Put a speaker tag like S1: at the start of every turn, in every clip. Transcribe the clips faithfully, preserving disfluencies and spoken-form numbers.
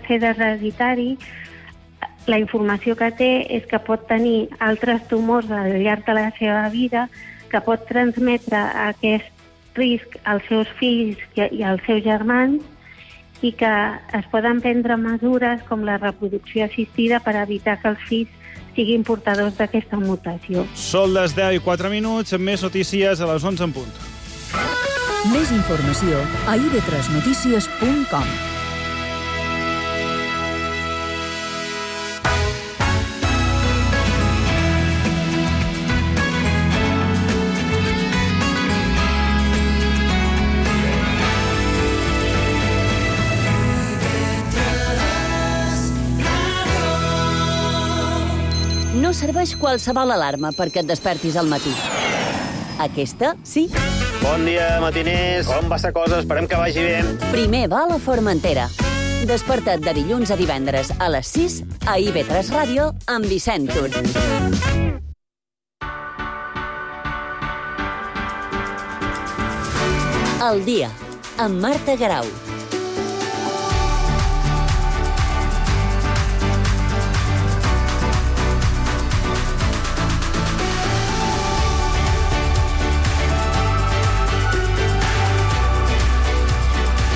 S1: càncer hereditari, la informació que té és que pot tenir altres tumors al llarg de la seva vida, que pot transmetre aquest risc als seus fills i als seus germans, i que es poden prendre mesures com la reproducció assistida per evitar que els fills siguin portadors d'aquesta mutació.
S2: Són les deu i quatre minuts, amb més notícies a les onze en punt.
S3: Més informació a i ve tres notícies punt com.
S4: No serveix qualsevol alarma perquè et despertis al matí. Aquesta, sí.
S5: Bon dia, matiners. Com va la cosa? Esperem que vagi bé.
S4: Primer va a la Formentera. Desperta't de dilluns a divendres a les sis a i ve tres Ràdio amb Vicent Tur. El dia, amb Marta Garau.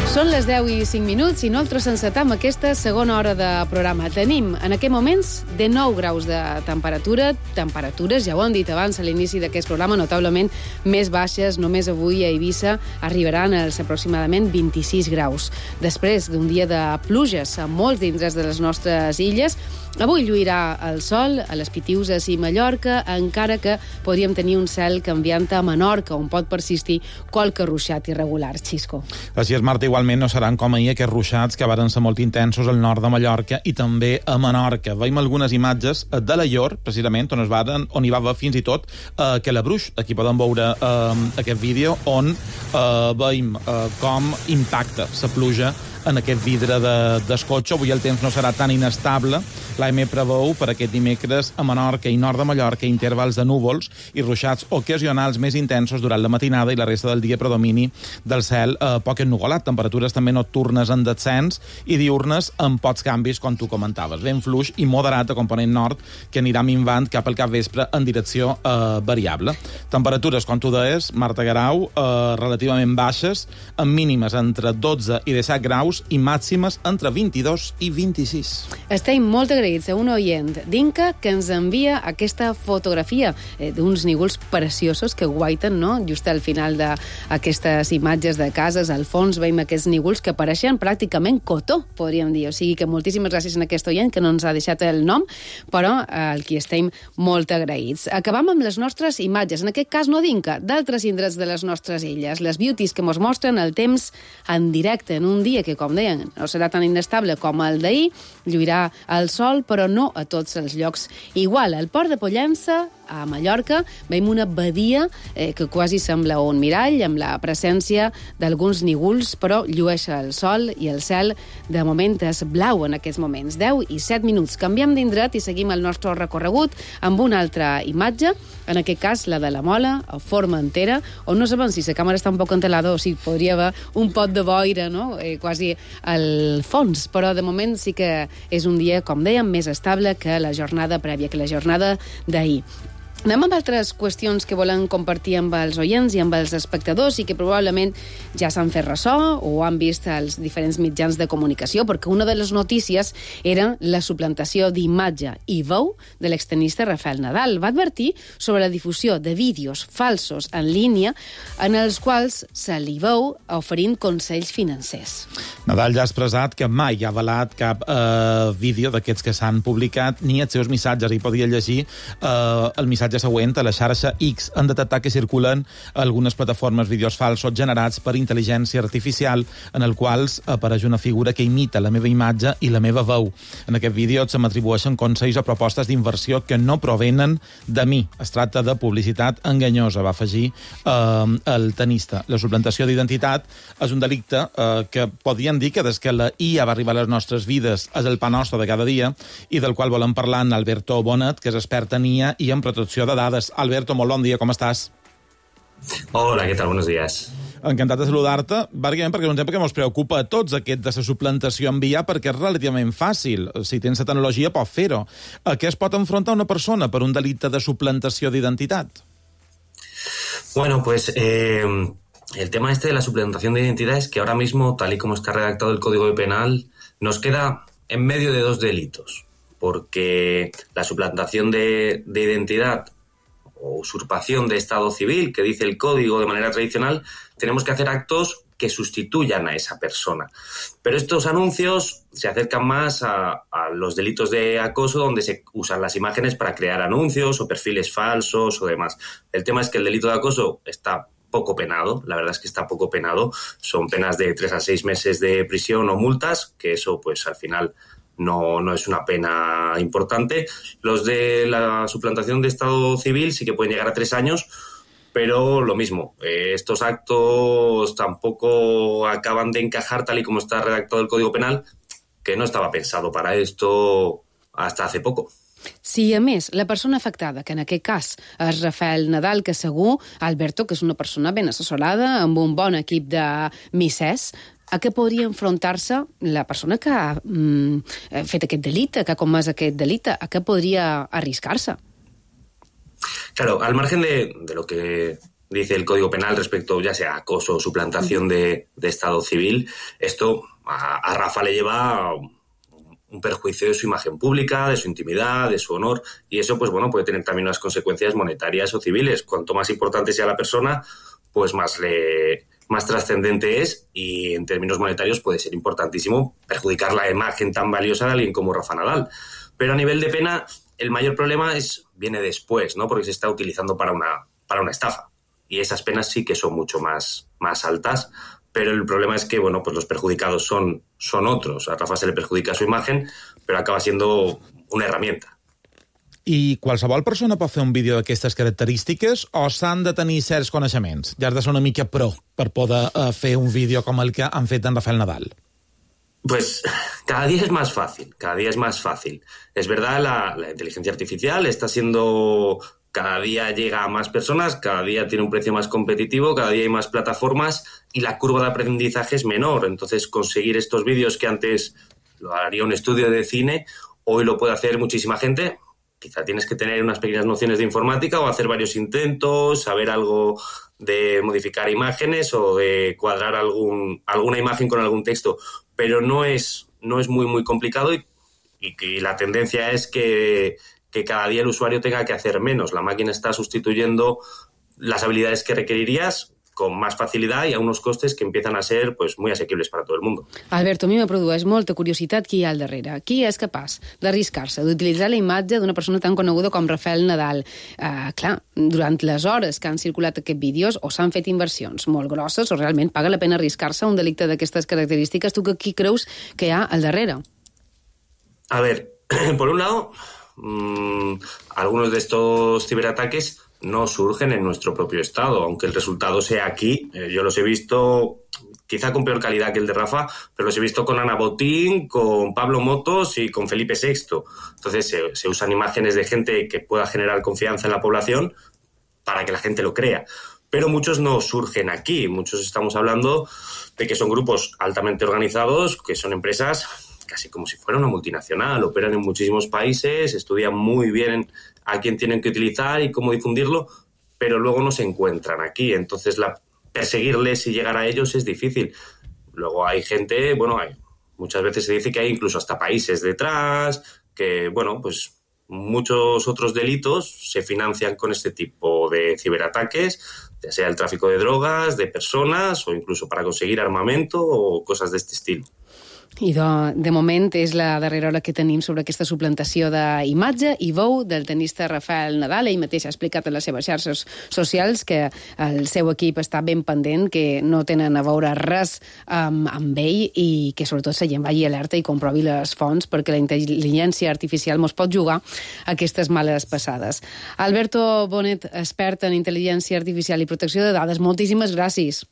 S6: Són les deu i cinc minuts i nosaltres encetam aquesta segona hora de programa. Tenim en aquests moments dinou graus de temperatura, temperatures, ja ho hem dit abans a l'inici d'aquest programa, notablement més baixes. Només avui a Eivissa arribaran als aproximadament vint-i-sis graus. Després d'un dia de pluges a molts d'indrets de les nostres illes, avui lluirà el sol a les Pitiüses i Mallorca, encara que podríem tenir un cel canviant a Menorca, on pot persistir qualque ruixat irregular. Xisco.
S7: Així és, Marta, igualment no seran com ahir aquests ruixats que varen ser molt intensos al nord de Mallorca i també a Menorca. Veiem algunes imatges de l'Aior, precisament, on, es varen, on hi va haver fins i tot eh, que la Bruix. Aquí podem veure eh, aquest vídeo on eh, veiem eh, com impacta la pluja en aquest vidre de, del cotxe. Avui el temps no serà tan inestable. L'A M preveu per aquest dimecres a Menorca i nord de Mallorca intervals de núvols i ruixats ocasionals més intensos durant la matinada i la resta del dia predomini del cel eh, poc ennuvolat. Temperatures també nocturnes en descens i diurnes amb pocs canvis, com tu comentaves. Vent fluix i moderat a component nord que anirà minvant cap al capvespre en direcció eh, variable. Temperatures, com tu deies, Marta Garau, eh, relativament baixes, amb mínimes entre dotze i disset graus i màximes entre vint-i-dos i vint-i-sis.
S6: Estem molt agraïts a un oient d'Inca que ens envia aquesta fotografia eh, d'uns nígols preciosos que guaiten, no?, just al final d'aquestes imatges de cases. Al fons veiem aquests nígols que apareixen pràcticament cotó, podríem dir. O sigui que moltíssimes gràcies a aquest oient que no ens ha deixat el nom, però eh, al qui estem molt agraïts. Acabam amb les nostres imatges, en aquest cas no d'Inca, d'altres indrets de les nostres illes. Les beauties que mos mostren el temps en directe, en un dia que, com deien, no serà tan inestable com el d'ahir, lluirà el sol, però no a tots els llocs igual. Al port de Pollença, a Mallorca, veiem una badia eh, que quasi sembla un mirall, amb la presència d'alguns nígols, però llueix el sol i el cel de moment és blau en aquests moments. deu i set minuts. Canviem d'indret i seguim el nostre recorregut amb una altra imatge, en aquest cas la de la Mola, a Formentera, on no sabem si la càmera està un poc entelada o si podria haver un pot de boira, no?, eh, quasi al fons, però de moment sí que és un dia, com dèiem, més estable que la jornada prèvia, que la jornada d'ahir. Anem amb altres qüestions que volen compartir amb els oients i amb els espectadors i que probablement ja s'han fet ressò o han vist als diferents mitjans de comunicació, perquè una de les notícies era la suplantació d'imatge i veu de l'extenista Rafael Nadal. Va advertir sobre la difusió de vídeos falsos en línia en els quals se li veu oferint consells financers.
S7: Nadal ja ha expressat que mai ha avalat cap eh, vídeo d'aquests que s'han publicat ni els seus missatges. I podia llegir eh, el missatge següent a la xarxa X. Han detectat que circulen algunes plataformes vídeos falsos generats per intel·ligència artificial en el quals apareix una figura que imita la meva imatge i la meva veu. En aquest vídeo se m'atribueixen consells o propostes d'inversió que no provenen de mi. Es tracta de publicitat enganyosa, va afegir eh, el tenista. La suplantació d'identitat és un delicte eh, que podríem dir que des que la I A va arribar a les nostres vides és el pa nostre de cada dia i del qual volem parlar amb Alberto Bonet, que és expert en I A i en protecció de dades. Alberto, molt bon dia, com estàs?
S8: Hola, ¿qué tal? Buenos días.
S7: Encantat de saludar-te, bàsicament perquè és un tema que ens preocupa a tots, aquest de la suplantació en V I A, perquè és relativament fàcil. Si tens la tecnologia, pots fer-ho. A què es pot enfrontar una persona per un delicte de suplantació d'identitat?
S8: Bueno, pues eh, el tema este de la suplantación de identidad es que ahora mismo, tal y como está redactado el Código Penal, nos queda en medio de dos delitos, porque la suplantación de, de identidad o usurpación de estado civil, que dice el Código de manera tradicional, tenemos que hacer actos que sustituyan a esa persona. Pero estos anuncios se acercan más a, a los delitos de acoso, donde se usan las imágenes para crear anuncios o perfiles falsos o demás. El tema es que el delito de acoso está poco penado, la verdad es que está poco penado. Son penas de tres a seis meses de prisión o multas, que eso pues al final no, no es una pena importante. Los de la suplantación de estado civil sí que pueden llegar a tres años, pero lo mismo, eh, estos actos tampoco acaban de encajar tal y como está redactado el Código Penal, que no estava pensado para esto hasta hace poco.
S6: Si, a més, la persona afectada, que en aquest cas és Rafael Nadal, que segur, Alberto, que és una persona ben assessorada, amb un bon equip de missers, a què podria enfrontar-se la persona que ha mm, fet aquest delicte, que ha comès aquest delicte? A què podria arriscar-se?
S8: Claro, al margen de, de lo que dice el Código Penal respecto, ya sea acoso o suplantación de, de estado civil, esto a, a Rafa le lleva un perjuicio de su imagen pública, de su intimidad, de su honor, y eso, pues bueno, puede tener también unas consecuencias monetarias o civiles. Cuanto más importante sea la persona, pues más le, más trascendente es, y en términos monetarios puede ser importantísimo perjudicar la imagen tan valiosa de alguien como Rafa Nadal. Pero a nivel de pena, el mayor problema es viene después, ¿no? Porque se está utilizando para una, para una estafa. Y esas penas sí que son mucho más, más altas, pero el problema es que, bueno, pues los perjudicados son, son otros. A Rafa se le perjudica su imagen, pero acaba siendo una herramienta.
S7: I qualsevol persona pot fer un vídeo d'aquestes característiques o s'han de tenir certs coneixements? Ja has de ser una mica pro per poder uh, fer un vídeo com el que han fet en Rafael Nadal.
S8: Pues cada día es más fácil, cada día es más fácil. Es verdad, la, la inteligencia artificial está siendo, cada día llega a más personas, cada día tiene un precio más competitivo, cada día hay más plataformas y la curva de aprendizaje es menor. Entonces, conseguir estos vídeos que antes lo haría un estudio de cine, hoy lo puede hacer muchísima gente. Quizá tienes que tener unas pequeñas nociones de informática o hacer varios intentos, saber algo de modificar imágenes o de cuadrar algún, alguna imagen con algún texto, pero no es, no es muy, muy complicado y, y, y la tendencia es que, que cada día el usuario tenga que hacer menos. La máquina está sustituyendo las habilidades que requerirías con más facilitat i a uns costes que empiezan a ser pues, muy asequibles para todo el mundo.
S6: Alberto, a mi me produeix molta curiositat qui hi ha al darrere. Qui és capaç d'arriscar-se, d'utilitzar la imatge d'una persona tan coneguda com Rafael Nadal? Uh, clar, durant les hores que han circulat aquests vídeos o s'han fet inversions molt grosses o realment paga la pena arriscar-se a un delicte d'aquestes característiques. Tu qui creus que hi ha al darrere?
S8: A ver, por un lado, mmm, algunos de estos ciberataques no surgen en nuestro propio estado, aunque el resultado sea aquí. Eh, yo los he visto quizá con peor calidad que el de Rafa, pero los he visto con Ana Botín, con Pablo Motos y con Felipe sexto. Entonces se, se usan imágenes de gente que pueda generar confianza en la población para que la gente lo crea. Pero muchos no surgen aquí, muchos estamos hablando de que son grupos altamente organizados, que son empresas casi como si fuera una multinacional, operan en muchísimos países, estudian muy bien a quién tienen que utilizar y cómo difundirlo, pero luego no se encuentran aquí. Entonces, la, perseguirles y llegar a ellos es difícil. Luego hay gente, bueno, hay, muchas veces se dice que hay incluso hasta países detrás, que, bueno, pues muchos otros delitos se financian con este tipo de ciberataques, ya sea el tráfico de drogas, de personas o incluso para conseguir armamento o cosas de este estilo.
S6: I de, de moment és la darrera hora que tenim sobre aquesta suplantació d'imatge i veu del tenista Rafael Nadal. Ell mateix ha explicat a les seves xarxes socials que el seu equip està ben pendent, que no tenen a veure res amb, amb ell i que sobretot la gent vagi alerta i comprovi les fonts perquè la intel·ligència artificial mos pot jugar aquestes males passades. Alberto Bonet, expert en intel·ligència artificial i protecció de dades, moltíssimes gràcies.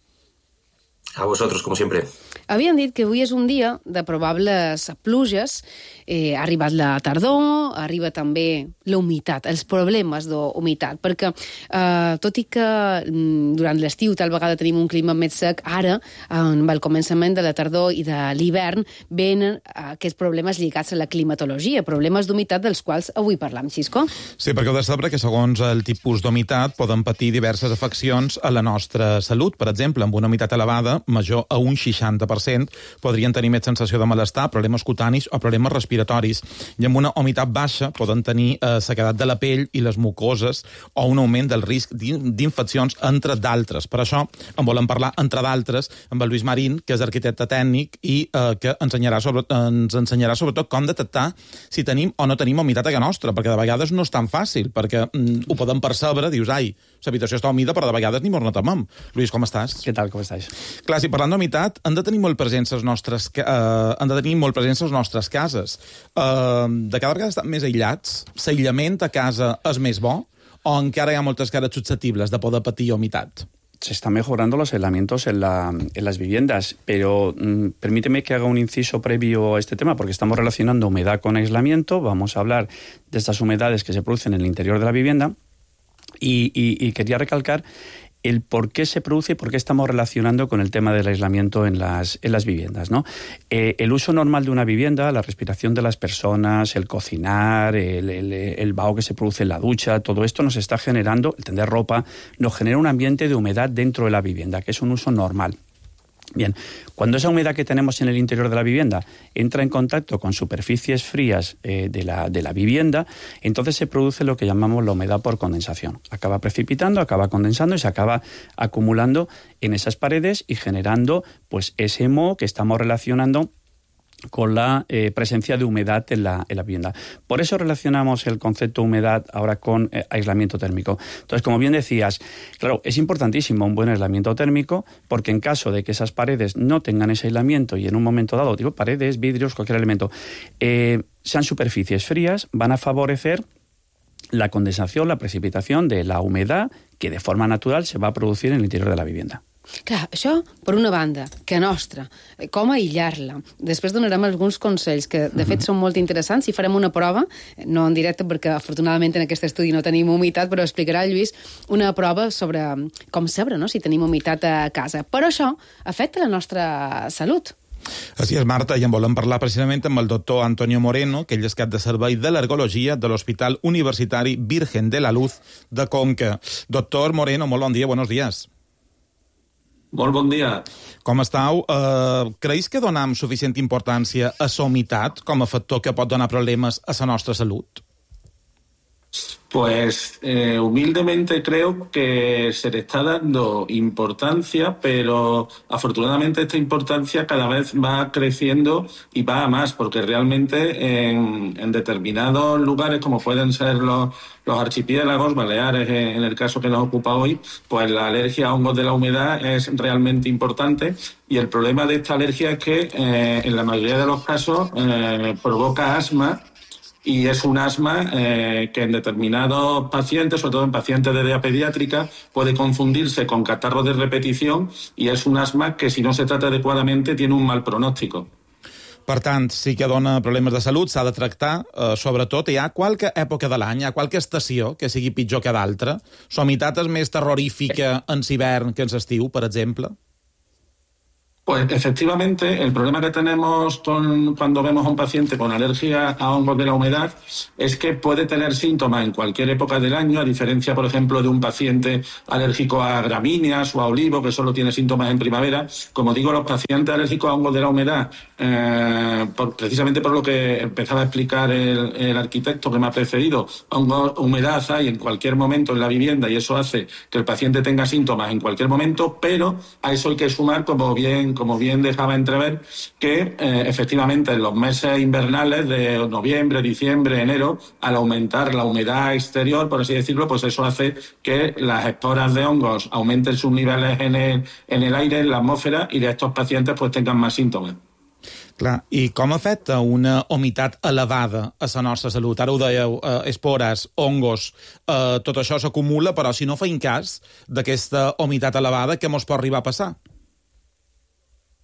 S8: A vosotros, como siempre.
S6: Havien dit que avui és un dia de probables pluges. Eh, ha arribat la tardor, arriba també la humitat, els problemes d'humitat, perquè eh, tot i que mm, durant l'estiu tal vegada tenim un clima més sec, ara, amb el començament de la tardor i de l'hivern, venen aquests problemes lligats a la climatologia, problemes d'humitat dels quals avui parlam, Xisco.
S7: Sí, perquè heu de saber que segons el tipus d'humitat poden patir diverses afeccions a la nostra salut. Per exemple, amb una humitat elevada, major a un seixanta per cent, podrien tenir més sensació de malestar, problemes cutanis o problemes respiratoris. I amb una humitat baixa poden tenir eh, sequedat de la pell i les mucoses o un augment del risc d'infeccions, entre d'altres. Per això en volem parlar, entre d'altres, amb el Lluís Marín, que és arquitecte tècnic i eh, que ensenyarà sobre, ens ensenyarà sobretot com detectar si tenim o no tenim humitat a casa nostra, perquè de vegades no és tan fàcil, perquè mm, ho podem percebre, dius, ai, l'habitació està humida, però de vegades ni mos notem. Lluís, com estàs?
S9: Què tal, com estàs?
S7: Clar, si parlant d'humitat, han de tenir molt presents les nostres, eh, han de tenir molt presents les nostres cases. Eh, de cada vegada estan més aïllats, l'aïllament a casa és més bo, o encara hi ha moltes cares susceptibles de poder patir humitat?
S9: Se están mejorando los aislamientos en, la, en las viviendas, pero mmm, permíteme que haga un inciso previo a este tema, porque estamos relacionando humedad con aislamiento. Vamos a hablar de estas humedades que se producen en el interior de la vivienda y, y, y quería recalcar el por qué se produce y por qué estamos relacionando con el tema del aislamiento en las, en las viviendas, ¿no? Eh, el uso normal de una vivienda, la respiración de las personas, el cocinar, el, el, el vaho que se produce en la ducha, todo esto nos está generando, el tender ropa, nos genera un ambiente de humedad dentro de la vivienda, que es un uso normal. Bien, cuando esa humedad que tenemos en el interior de la vivienda entra en contacto con superficies frías eh, de, la, de la vivienda, entonces se produce lo que llamamos la humedad por condensación. Acaba precipitando, acaba condensando y se acaba acumulando en esas paredes y generando pues ese moho que estamos relacionando con la eh, presencia de humedad en la, en la vivienda. Por eso relacionamos el concepto humedad ahora con eh, aislamiento térmico. Entonces, como bien decías, claro, es importantísimo un buen aislamiento térmico, porque en caso de que esas paredes no tengan ese aislamiento y en un momento dado, digo, paredes, vidrios, cualquier elemento, eh, sean superficies frías, van a favorecer la condensación, la precipitación de la humedad que de forma natural se va a producir en el interior de la vivienda.
S6: Clar, això, per una banda, que nostra, com aïllar-la. Després donarem alguns consells que, de fet, són molt interessants i farem una prova, no en directe perquè, afortunadament, en aquest estudi no tenim humitat, però explicarà el Lluís una prova sobre com saber, no?, si tenim humitat a casa. Però això afecta la nostra salut.
S7: Així és, Marta, i en volem parlar precisament amb el doctor Antonio Moreno, que ell és cap de servei d'al·lergologia de l'Hospital Universitari Virgen de la Luz de Conca. Doctor Moreno, molt bon dia, buenos días.
S10: Molt bon dia.
S7: Com estàu? Uh, creus que donem suficient importància a la humitat com a factor que pot donar problemes a la nostra salut?
S10: Pues eh, humildemente creo que se le está dando importancia, pero afortunadamente esta importancia cada vez va creciendo y va a más, porque realmente en, en determinados lugares, como pueden ser los, los archipiélagos, Baleares en el caso que nos ocupa hoy, pues la alergia a hongos de la humedad es realmente importante, y el problema de esta alergia es que eh, en la mayoría de los casos eh, provoca asma. Y es un asma eh, que en determinados pacientes, sobre todo en pacientes de edad pediátrica, puede confundirse con catarro de repetición, y es un asma que, si no se trata adecuadamente, tiene un mal pronóstico.
S7: Per tant, sí que dona problemes de salut, s'ha de tractar, eh, sobretot. Hi ha qualque època de l'any, hi ha qualque estació que sigui pitjor que d'altra? La humitat és més terrorífica en l'hivern que en l'estiu, per exemple?
S10: Pues efectivamente, el problema que tenemos con, cuando vemos a un paciente con alergia a hongos de la humedad es que puede tener síntomas en cualquier época del año, a diferencia, por ejemplo, de un paciente alérgico a gramíneas o a olivo, que solo tiene síntomas en primavera. Como digo, los pacientes alérgicos a hongos de la humedad, eh, por, precisamente por lo que empezaba a explicar el, el arquitecto que me ha precedido, hongos, humedad hay en cualquier momento en la vivienda, y eso hace que el paciente tenga síntomas en cualquier momento, pero a eso hay que sumar, como bien como bien dejaba entrever, que eh, efectivamente en los meses invernales de noviembre, diciembre, enero, al aumentar la humedad exterior, por así decirlo, pues eso hace que las esporas de hongos aumenten sus niveles en el, en el aire, en la atmósfera, y de estos pacientes pues tengan más síntomas.
S7: Clar, i com afecta una humitat elevada a la nostra salut? Ara ho dèieu, eh, espores, hongos, eh, tot això s'acumula, però si no feim cas d'aquesta humitat elevada, què mos pot arribar a passar?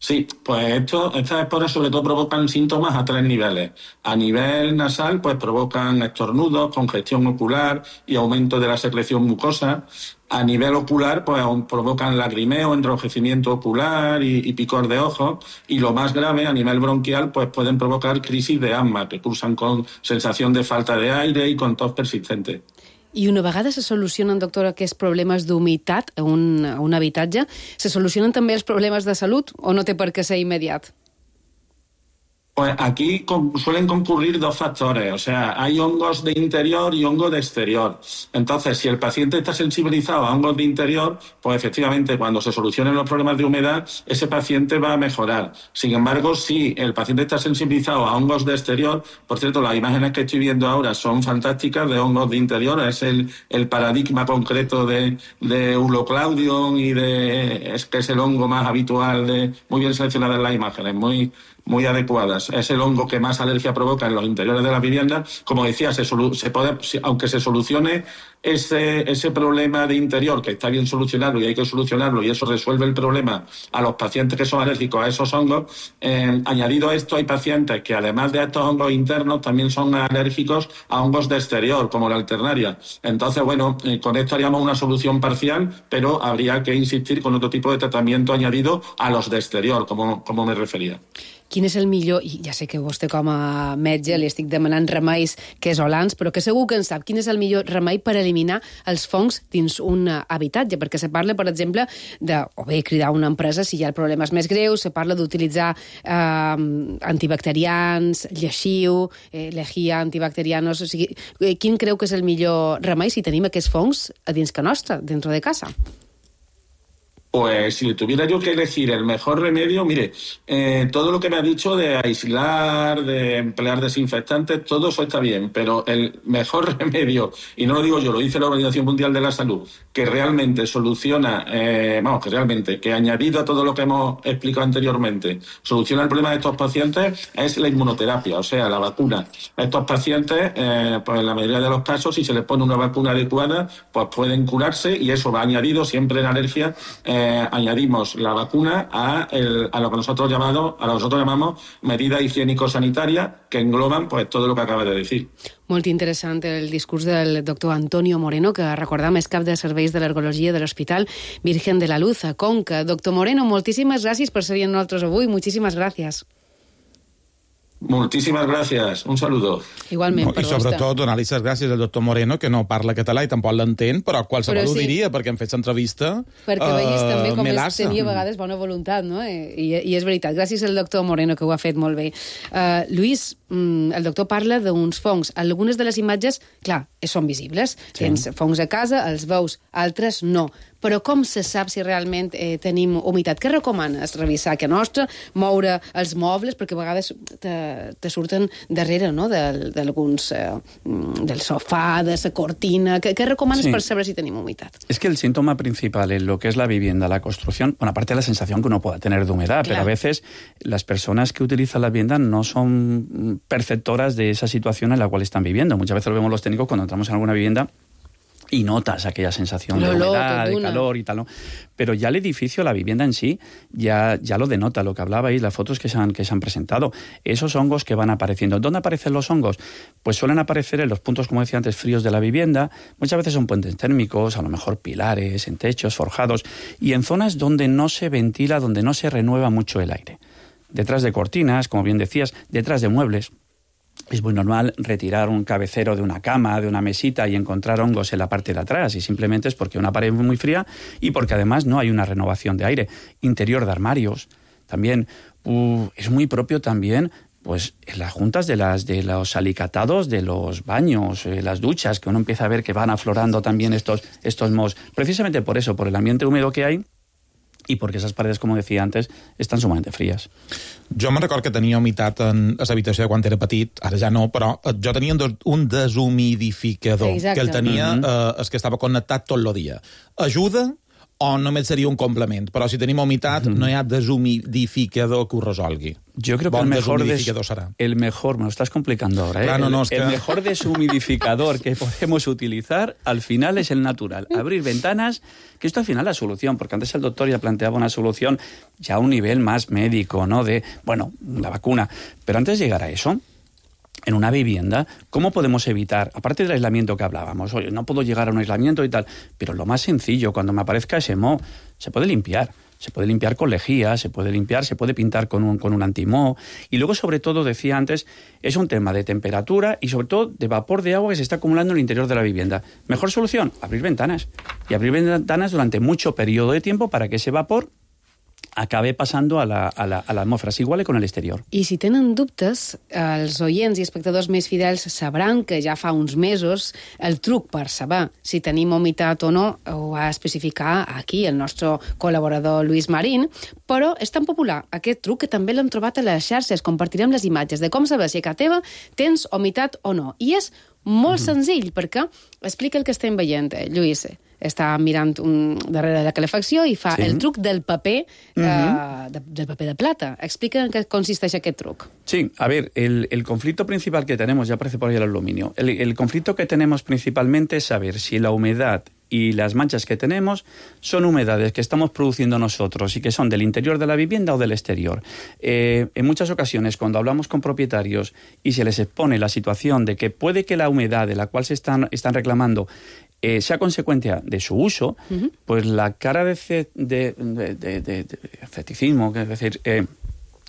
S10: Sí, pues esto, estas esporas sobre todo provocan síntomas a tres niveles. A nivel nasal, pues provocan estornudos, congestión ocular y aumento de la secreción mucosa. A nivel ocular, pues provocan lagrimeo, enrojecimiento ocular y, y picor de ojos. Y lo más grave, a nivel bronquial, pues pueden provocar crisis de asma, que cursan con sensación de falta de aire y con tos persistente.
S6: I una vegada se solucionen, doctora, aquests problemes d'humitat a un, a un habitatge, se solucionen també els problemes de salut o no té per què ser immediat?
S10: Pues aquí con, suelen concurrir dos factores, o sea, hay hongos de interior y hongos de exterior. Entonces, si el paciente está sensibilizado a hongos de interior, pues efectivamente cuando se solucionen los problemas de humedad, ese paciente va a mejorar. Sin embargo, si el paciente está sensibilizado a hongos de exterior, por cierto, las imágenes que estoy viendo ahora son fantásticas de hongos de interior, es el, el paradigma concreto de, de Uloclaudium y de, es que es el hongo más habitual, de, muy bien seleccionadas las imágenes, muy... muy adecuadas. Es el hongo que más alergia provoca en los interiores de la vivienda. Como decía, se, solu- se puede, aunque se solucione ese, ese problema de interior, que está bien solucionarlo y hay que solucionarlo, y eso resuelve el problema a los pacientes que son alérgicos a esos hongos, eh, añadido a esto hay pacientes que además de estos hongos internos también son alérgicos a hongos de exterior, como la alternaria. Entonces, bueno, eh, con esto haríamos una solución parcial, pero habría que insistir con otro tipo de tratamiento añadido a los de exterior, como, como me refería.
S6: Quin és el millor, i ja sé que vostè com a metge li estic demanant remeis casolans, però que segur que en sap, quin és el millor remei per eliminar els fongs dins un habitatge? Perquè se parla, per exemple, de, o bé, cridar una empresa si hi ha problemes més greus, se parla d'utilitzar eh, antibacterians, lleixiu, eh, lejia, antibacterianos... O sigui, quin creu que és el millor remei si tenim aquests fongs a dins que nostra, dentro de casa?
S10: Pues si tuviera yo que elegir el mejor remedio, mire, eh, todo lo que me ha dicho de aislar, de emplear desinfectantes, todo eso está bien, pero el mejor remedio, y no lo digo yo, lo dice la Organización Mundial de la Salud, que realmente soluciona, eh, vamos, que realmente, que añadido a todo lo que hemos explicado anteriormente, soluciona el problema de estos pacientes, es la inmunoterapia, o sea, la vacuna. A estos pacientes, eh, pues en la mayoría de los casos, si se les pone una vacuna adecuada, pues pueden curarse, y eso va añadido siempre en alergia, eh, Eh, añadimos la vacuna a, el, a lo que nosotros llamado, a lo que nosotros llamamos medidas higiénico-sanitarias que engloban pues todo lo que acaba de decir.
S6: Molt interessant el discurs del doctor Antonio Moreno, que recordam és cap de serveis de l'ergologia de l'Hospital Virgen de la Luz a Conca. Doctor Moreno, moltíssimes gràcies per ser amb nosaltres avui. Moltíssimes gràcies.
S10: Moltíssimes gràcies, un saludo.
S6: Igualment,
S7: no, per I sobretot donar-li les gràcies al doctor Moreno, que no parla català i tampoc l'entén, però qualsevol però sí. ho diria, perquè hem fet l'entrevista.
S6: Perquè uh, veus també com és, tenia a
S7: mm.
S6: vegades bona voluntat, no? I, I és veritat, gràcies al doctor Moreno, que ho ha fet molt bé. Uh, Lluís, mm, el doctor parla d'uns fongs. Algunes de les imatges, clar, són visibles. Sí. Tens fongs a casa, els veus, altres no. Però com se sap si realment eh, tenim humitat? Què recomanes? Revisar que nostra, moure els mobles, perquè a vegades te, te surten darrere, no?, d'alguns, eh, del sofà, de la cortina. ¿Qué, qué recomanas sí. para saber si tenemos humedad?
S9: Es que el síntoma principal en lo que es la vivienda, la construcción, bueno, aparte de la sensación que uno pueda tener de humedad, claro. pero a veces las personas que utilizan la vivienda no son perceptoras de esa situación en la cual están viviendo. Muchas veces lo vemos los técnicos cuando entramos en alguna vivienda y notas aquella sensación de humedad, de calor y tal, ¿no? Pero ya el edificio, la vivienda en sí, ya, ya lo denota, lo que hablabais, las fotos que se, han, que se han presentado. Esos hongos que van apareciendo. ¿Dónde aparecen los hongos? Pues suelen aparecer en los puntos, como decía antes, fríos de la vivienda. Muchas veces son puentes térmicos, a lo mejor pilares, en techos, forjados, y en zonas donde no se ventila, donde no se renueva mucho el aire. Detrás de cortinas, como bien decías, detrás de muebles. Es muy normal retirar un cabecero de una cama, de una mesita y encontrar hongos en la parte de atrás, y simplemente es porque una pared es muy fría y porque además no hay una renovación de aire. Interior de armarios, también uh, es muy propio también pues en las juntas de, las, de los alicatados de los baños, eh, las duchas, que uno empieza a ver que van aflorando también estos, estos mohos. Precisamente por eso, por el ambiente húmedo que hay, i perquè aquestes paredes, com decía antes, estan sumamente fríes.
S7: Jo me'n record que tenia humitat en l'habitació quan era petit, ara ja no, però jo tenia un deshumidificador, Exacte. que el tenia, mm-hmm. eh, es que estava connectat tot el dia. Ajuda o només seria un complement? Però si tenim humitat, mm. no hi ha deshumidificador que ho resolgui.
S9: Yo creo que
S7: bon
S9: el mejor, des,
S7: serà.
S9: el mejor, me lo estás complicando ahora, ¿eh?
S7: Claro, no,
S9: el,
S7: es que...
S9: el mejor deshumidificador que podemos utilizar al final es el natural. Abrir ventanas, que esto al final es la solución, porque antes el doctor ya planteaba una solución ya a un nivel más médico, ¿no? De, bueno, la vacuna. Pero antes de llegar a eso, en una vivienda, ¿cómo podemos evitar, aparte del aislamiento que hablábamos, oye, no puedo llegar a un aislamiento y tal, pero lo más sencillo, cuando me aparezca ese moho, se puede limpiar. Se puede limpiar con lejía, se puede limpiar, se puede pintar con un, con un antimoho. Y luego, sobre todo, decía antes, es un tema de temperatura y, sobre todo, de vapor de agua que se está acumulando en el interior de la vivienda. Mejor solución, abrir ventanas. Y abrir ventanas durante mucho periodo de tiempo para que ese vapor acabe passant a la, a, la, a l'atmosfera, s'iguale con el exterior.
S6: I si tenen dubtes, els oients i espectadors més fidels sabran que ja fa uns mesos el truc per saber si tenim humitat o no ho va especificar aquí el nostre col·laborador Lluís Marín, però és tan popular aquest truc que també l'hem trobat a les xarxes. Compartirem les imatges de com saber si a casa teva tens humitat o no. I és molt mm-hmm. senzill, perquè explica el que estem veient, eh, Lluís. Està mirant un, darrere de la calefacció i fa sí. el truc del paper, uh-huh. eh, de, del paper de plata. Explica en què consisteix aquest truc.
S9: Sí, a ver, el, el conflicto principal que tenemos, ya aparece por ahí el aluminio, el, el conflicto que tenemos principalmente es saber si la humedad y las manchas que tenemos son humedades que estamos produciendo nosotros y que son del interior de la vivienda o del exterior. Eh, en muchas ocasiones, cuando hablamos con propietarios y se les expone la situación de que puede que la humedad de la cual se están, están reclamando Eh, sea consecuencia de su uso, uh-huh. pues la cara de, ce, de, de, de, de, de feticismo, es decir... Eh,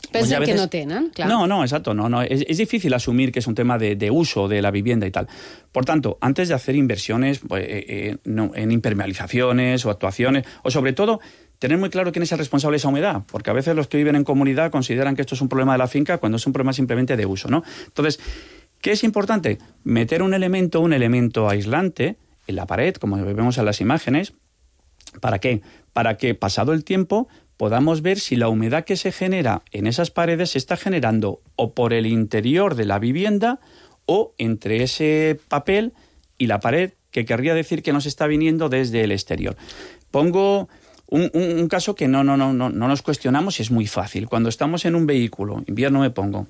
S6: Pensen
S9: veces...
S6: que no tenen, claro.
S9: No, no, exacto. No, no. Es, es difícil asumir que es un tema de, de uso de la vivienda y tal. Por tanto, antes de hacer inversiones pues, eh, eh, no, en impermeabilizaciones o actuaciones, o sobre todo, tener muy claro quién es el responsable de esa humedad, porque a veces los que viven en comunidad consideran que esto es un problema de la finca cuando es un problema simplemente de uso, ¿no? Entonces, ¿qué es importante? Meter un elemento, un elemento aislante en la pared, como vemos en las imágenes. ¿Para qué? Para que, pasado el tiempo, podamos ver si la humedad que se genera en esas paredes se está generando o por el interior de la vivienda o entre ese papel y la pared, que querría decir que nos está viniendo desde el exterior. Pongo un, un, un caso que no, no, no, no, no nos cuestionamos y es muy fácil. Cuando estamos en un vehículo, invierno me pongo,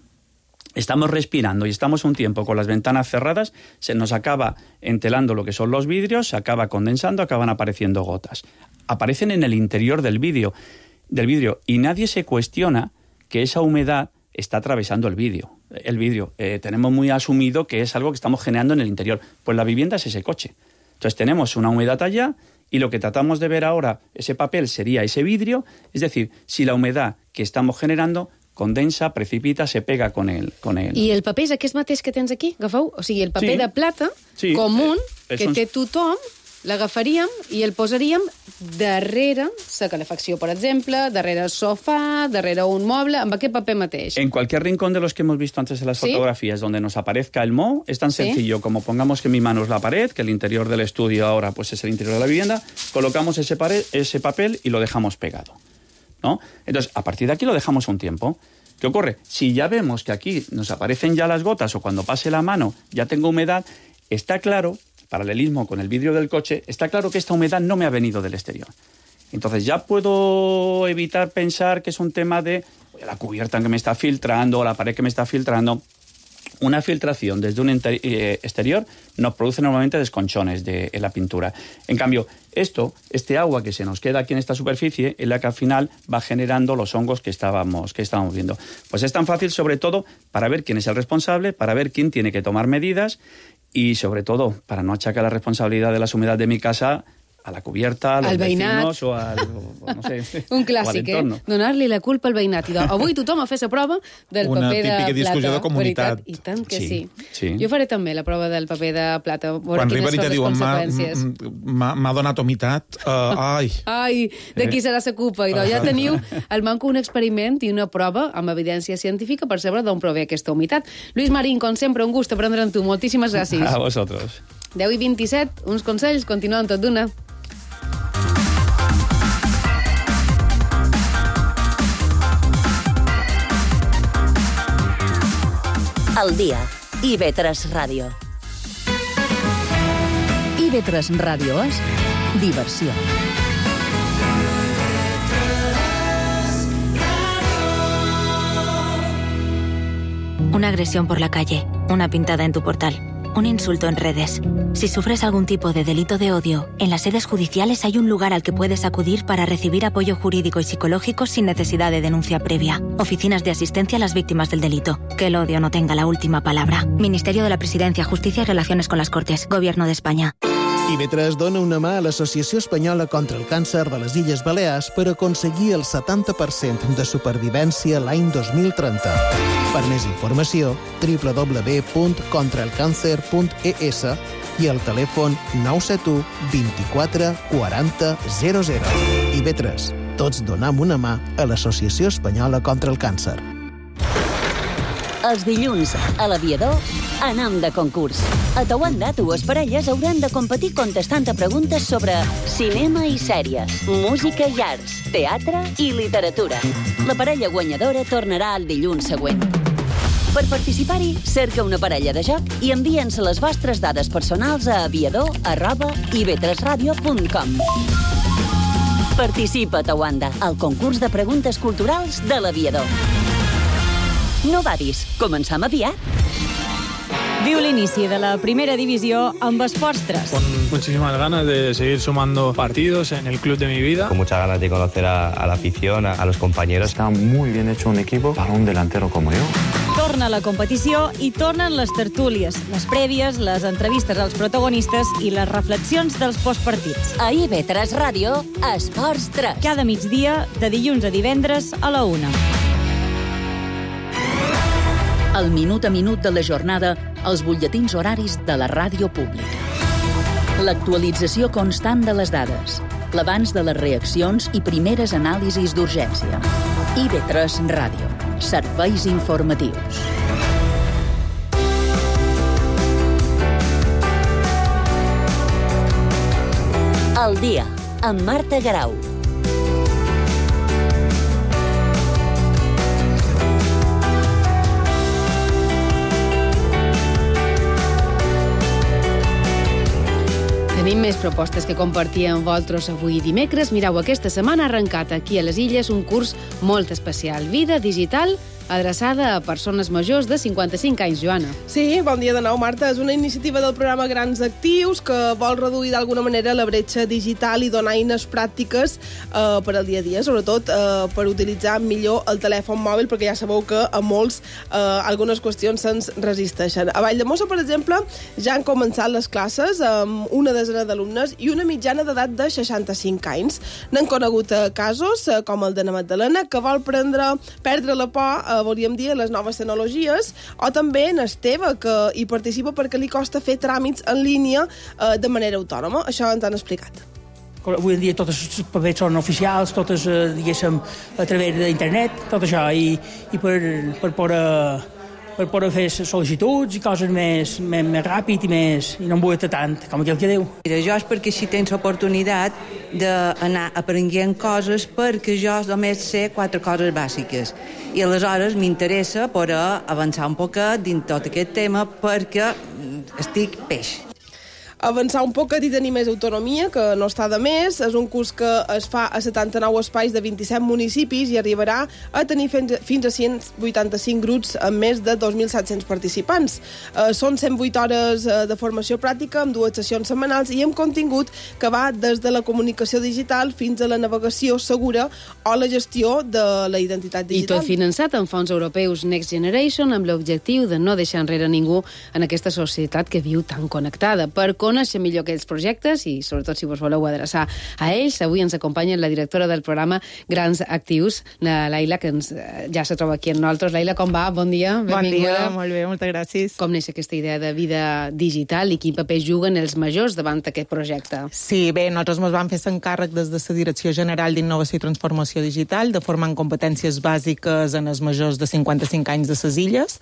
S9: estamos respirando y estamos un tiempo con las ventanas cerradas, se nos acaba entelando lo que son los vidrios, se acaba condensando, acaban apareciendo gotas. Aparecen en el interior del vidrio, del vidrio y nadie se cuestiona que esa humedad está atravesando el vidrio. El vidrio eh, tenemos muy asumido que es algo que estamos generando en el interior. Pues la vivienda es ese coche. Entonces tenemos una humedad allá y lo que tratamos de ver ahora, ese papel sería ese vidrio, es decir, si la humedad que estamos generando condensa, precipita, se pega con el... Con el...
S6: I el paper és aquest mateix que tens aquí, agafeu? O sigui, el paper
S9: sí.
S6: de plata
S9: sí.
S6: comú
S9: eh,
S6: que
S9: són...
S6: té tothom, l'agafaríem i el posaríem darrere la calefacció, per exemple, darrere el sofà, darrere un moble, amb aquest paper mateix.
S9: En cualquier rincón de los que hemos visto antes en las
S6: ¿Sí?
S9: fotografías donde nos aparezca el moho, es tan
S6: ¿Sí?
S9: sencillo como pongamos que mi mano es la pared, que el interior del estudio ahora pues es el interior de la vivienda, colocamos ese, pared, ese papel y lo dejamos pegado, ¿no? Entonces, a partir de aquí lo dejamos un tiempo. ¿Qué ocurre? Si ya vemos que aquí nos aparecen ya las gotas o cuando pase la mano ya tengo humedad, está claro, paralelismo con el vidrio del coche, está claro que esta humedad no me ha venido del exterior. Entonces ya puedo evitar pensar que es un tema de la cubierta que me está filtrando o la pared que me está filtrando. Una filtración desde un eh, exterior nos produce normalmente desconchones de, en la pintura. En cambio, esto, este agua que se nos queda aquí en esta superficie, es la que al final va generando los hongos que estábamos, que estábamos viendo. Pues es tan fácil, sobre todo, para ver quién es el responsable, para ver quién tiene que tomar medidas y, sobre todo, para no achacar la responsabilidad de la humedad de mi casa a la cubierta, a los vecinos o al... O, no sé,
S6: un clàssic, eh? Donar-li la culpa al veïnat. I avui tothom a fer la prova del
S7: Una
S6: paper de plata.
S7: Una típica discussió de comunitat.
S6: Veritat? I tant que sí.
S7: sí. sí.
S6: Jo faré també la prova del paper de plata.
S7: Quan arriben i te diuen m'ha donat humitat, uh, ai...
S6: Ai, de qui serà la culpa? I ja teniu al manco un experiment i una prova amb evidència científica per saber d'on prové aquesta humitat. Lluís Marín, com sempre, un gust aprendre amb tu. Moltíssimes gràcies.
S9: A vosaltres.
S6: deu i vint-i-set, uns consells, continuem tot d'una.
S4: Al dia. I V tres Ràdio.
S3: I V tres Ràdio és diversió.
S11: una agresión por la calle, una pintada en tu portal, un insulto en redes. Si sufres algún tipo de delito de odio, en las sedes judiciales hay un lugar al que puedes acudir para recibir apoyo jurídico y psicológico sin necesidad de denuncia previa. Oficinas de asistencia a las víctimas del delito. Que el odio no tenga la última palabra. Ministerio de la Presidencia, Justicia y Relaciones con las Cortes. Gobierno de España.
S12: I B tres dona una mà a l'Associació Espanyola contra el Càncer de les Illes Balears per aconseguir el setanta per cent de supervivència l'any dos mil trenta. Per més informació, doble u doble u doble u punt contra el càncer punt e essa i el telèfon nou set u, vint-i-quatre, quaranta, zero zero. I B tres. Tots donem una mà a l'Associació Espanyola contra el Càncer.
S4: Els dilluns, a l'Aviador, anem de concurs. A Tawanda, dues parelles hauran de competir contestant a preguntes sobre cinema i sèries, música i arts, teatre i literatura. La parella guanyadora tornarà el dilluns següent. Per participar-hi, cerca una parella de joc i envia'ns les vostres dades personals a aviador arroba i be tres radio punt com. Participa a Tawanda, al concurs de preguntes culturals de l'Aviador. No badis, començam aviat.
S13: Viu l'inici de la primera divisió amb Esports tres.
S14: Con muchísimas ganas de seguir sumando partidos en el club de mi vida.
S15: Con muchas ganas de conocer a, a la afición, a, a los compañeros.
S16: Está muy bien hecho un equipo para un delantero como yo.
S13: Torna la competició i tornen les tertúlies, les prèvies, les entrevistes als protagonistes i les reflexions dels postpartits.
S4: A I B tres Ràdio, Esports tres.
S13: Cada migdia, de dilluns a divendres a la una.
S3: El minut a minut de la jornada, els butlletins horaris de la ràdio pública. L'actualització constant de les dades, l'abans de les reaccions i primeres anàlisis d'urgència. I B tres Ràdio. Serveis informatius.
S4: El dia, amb Marta Garau.
S6: Tenim més propostes que compartir amb vosaltres avui dimecres. Mireu, aquesta setmana ha arrencat aquí a les Illes un curs molt especial. Vida digital adreçada a persones majors de cinquanta-cinc anys, Joana.
S17: Sí, bon dia de nou, Marta. És una iniciativa del programa Grans Actius que vol reduir d'alguna manera la bretxa digital i donar eines pràctiques eh, per al dia a dia, sobretot eh, per utilitzar millor el telèfon mòbil, perquè ja sabeu que a molts eh, algunes qüestions se'ns resisteixen. A Valldemossa, per exemple, ja han començat les classes amb una desena d'alumnes i una mitjana d'edat de seixanta-cinc anys. N'han conegut eh, casos, eh, com el de na Magdalena, que vol prendre, perdre la por, eh, volíem dir, les noves tecnologies, o també en Esteve, que hi participa perquè li costa fer tràmits en línia eh, de manera autònoma. Això ens han explicat.
S18: Avui en dia totes els papers són oficials, totes, eh, diguéssim, a través d'internet, tot això, i, i per, per poder... per poder fer sol·licituds i coses més, més, més ràpid i més i no embueta tant, com aquell que diu.
S19: Mira, jo és perquè si tens l'oportunitat d'anar aprenent coses, perquè jo només sé quatre coses bàsiques i aleshores m'interessa poder avançar un poquet dins tot aquest tema perquè estic peix.
S17: Avançar un poquet i tenir més autonomia, que no està de més. És un curs que es fa a setanta-nou espais de vint-i-set municipis i arribarà a tenir fins a cent vuitanta-cinc grups amb més de dos mil set-cents participants. Eh, són cent vuit hores de formació pràctica amb dues sessions setmanals i amb contingut que va des de la comunicació digital fins a la navegació segura o la gestió de la identitat digital.
S6: I tot finançat amb fons europeus Next Generation amb l'objectiu de no deixar enrere ningú en aquesta societat que viu tan connectada. Per conèixer millor aquells projectes i, sobretot, si vos voleu adreçar a ells, avui ens acompanya la directora del programa Grans Actius, la Laila, que ens, ja se troba aquí amb nosaltres. Laila, com va? Bon dia, benvinguda.
S20: Bon dia, molt bé, moltes gràcies.
S6: Com neix aquesta idea de vida digital i quin paper juguen els majors davant aquest projecte?
S20: Sí, bé, nosaltres ens vam fer l'encàrrec des de la Direcció General d'Innovació i Transformació Digital de formar en competències bàsiques en els majors de cinquanta-cinc anys de les illes.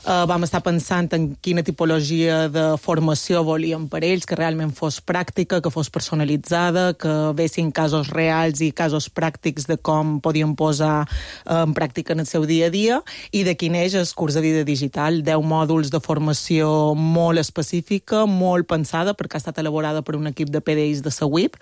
S20: Uh, vam estar pensant en quina tipologia de formació volíem per ells, que realment fos pràctica, que fos personalitzada, que vessin casos reals i casos pràctics de com podien posar en pràctica en el seu dia a dia, i de quin és el curs de vida digital. deu mòduls de formació molt específica, molt pensada, perquè ha estat elaborada per un equip de P D Is de la U I P,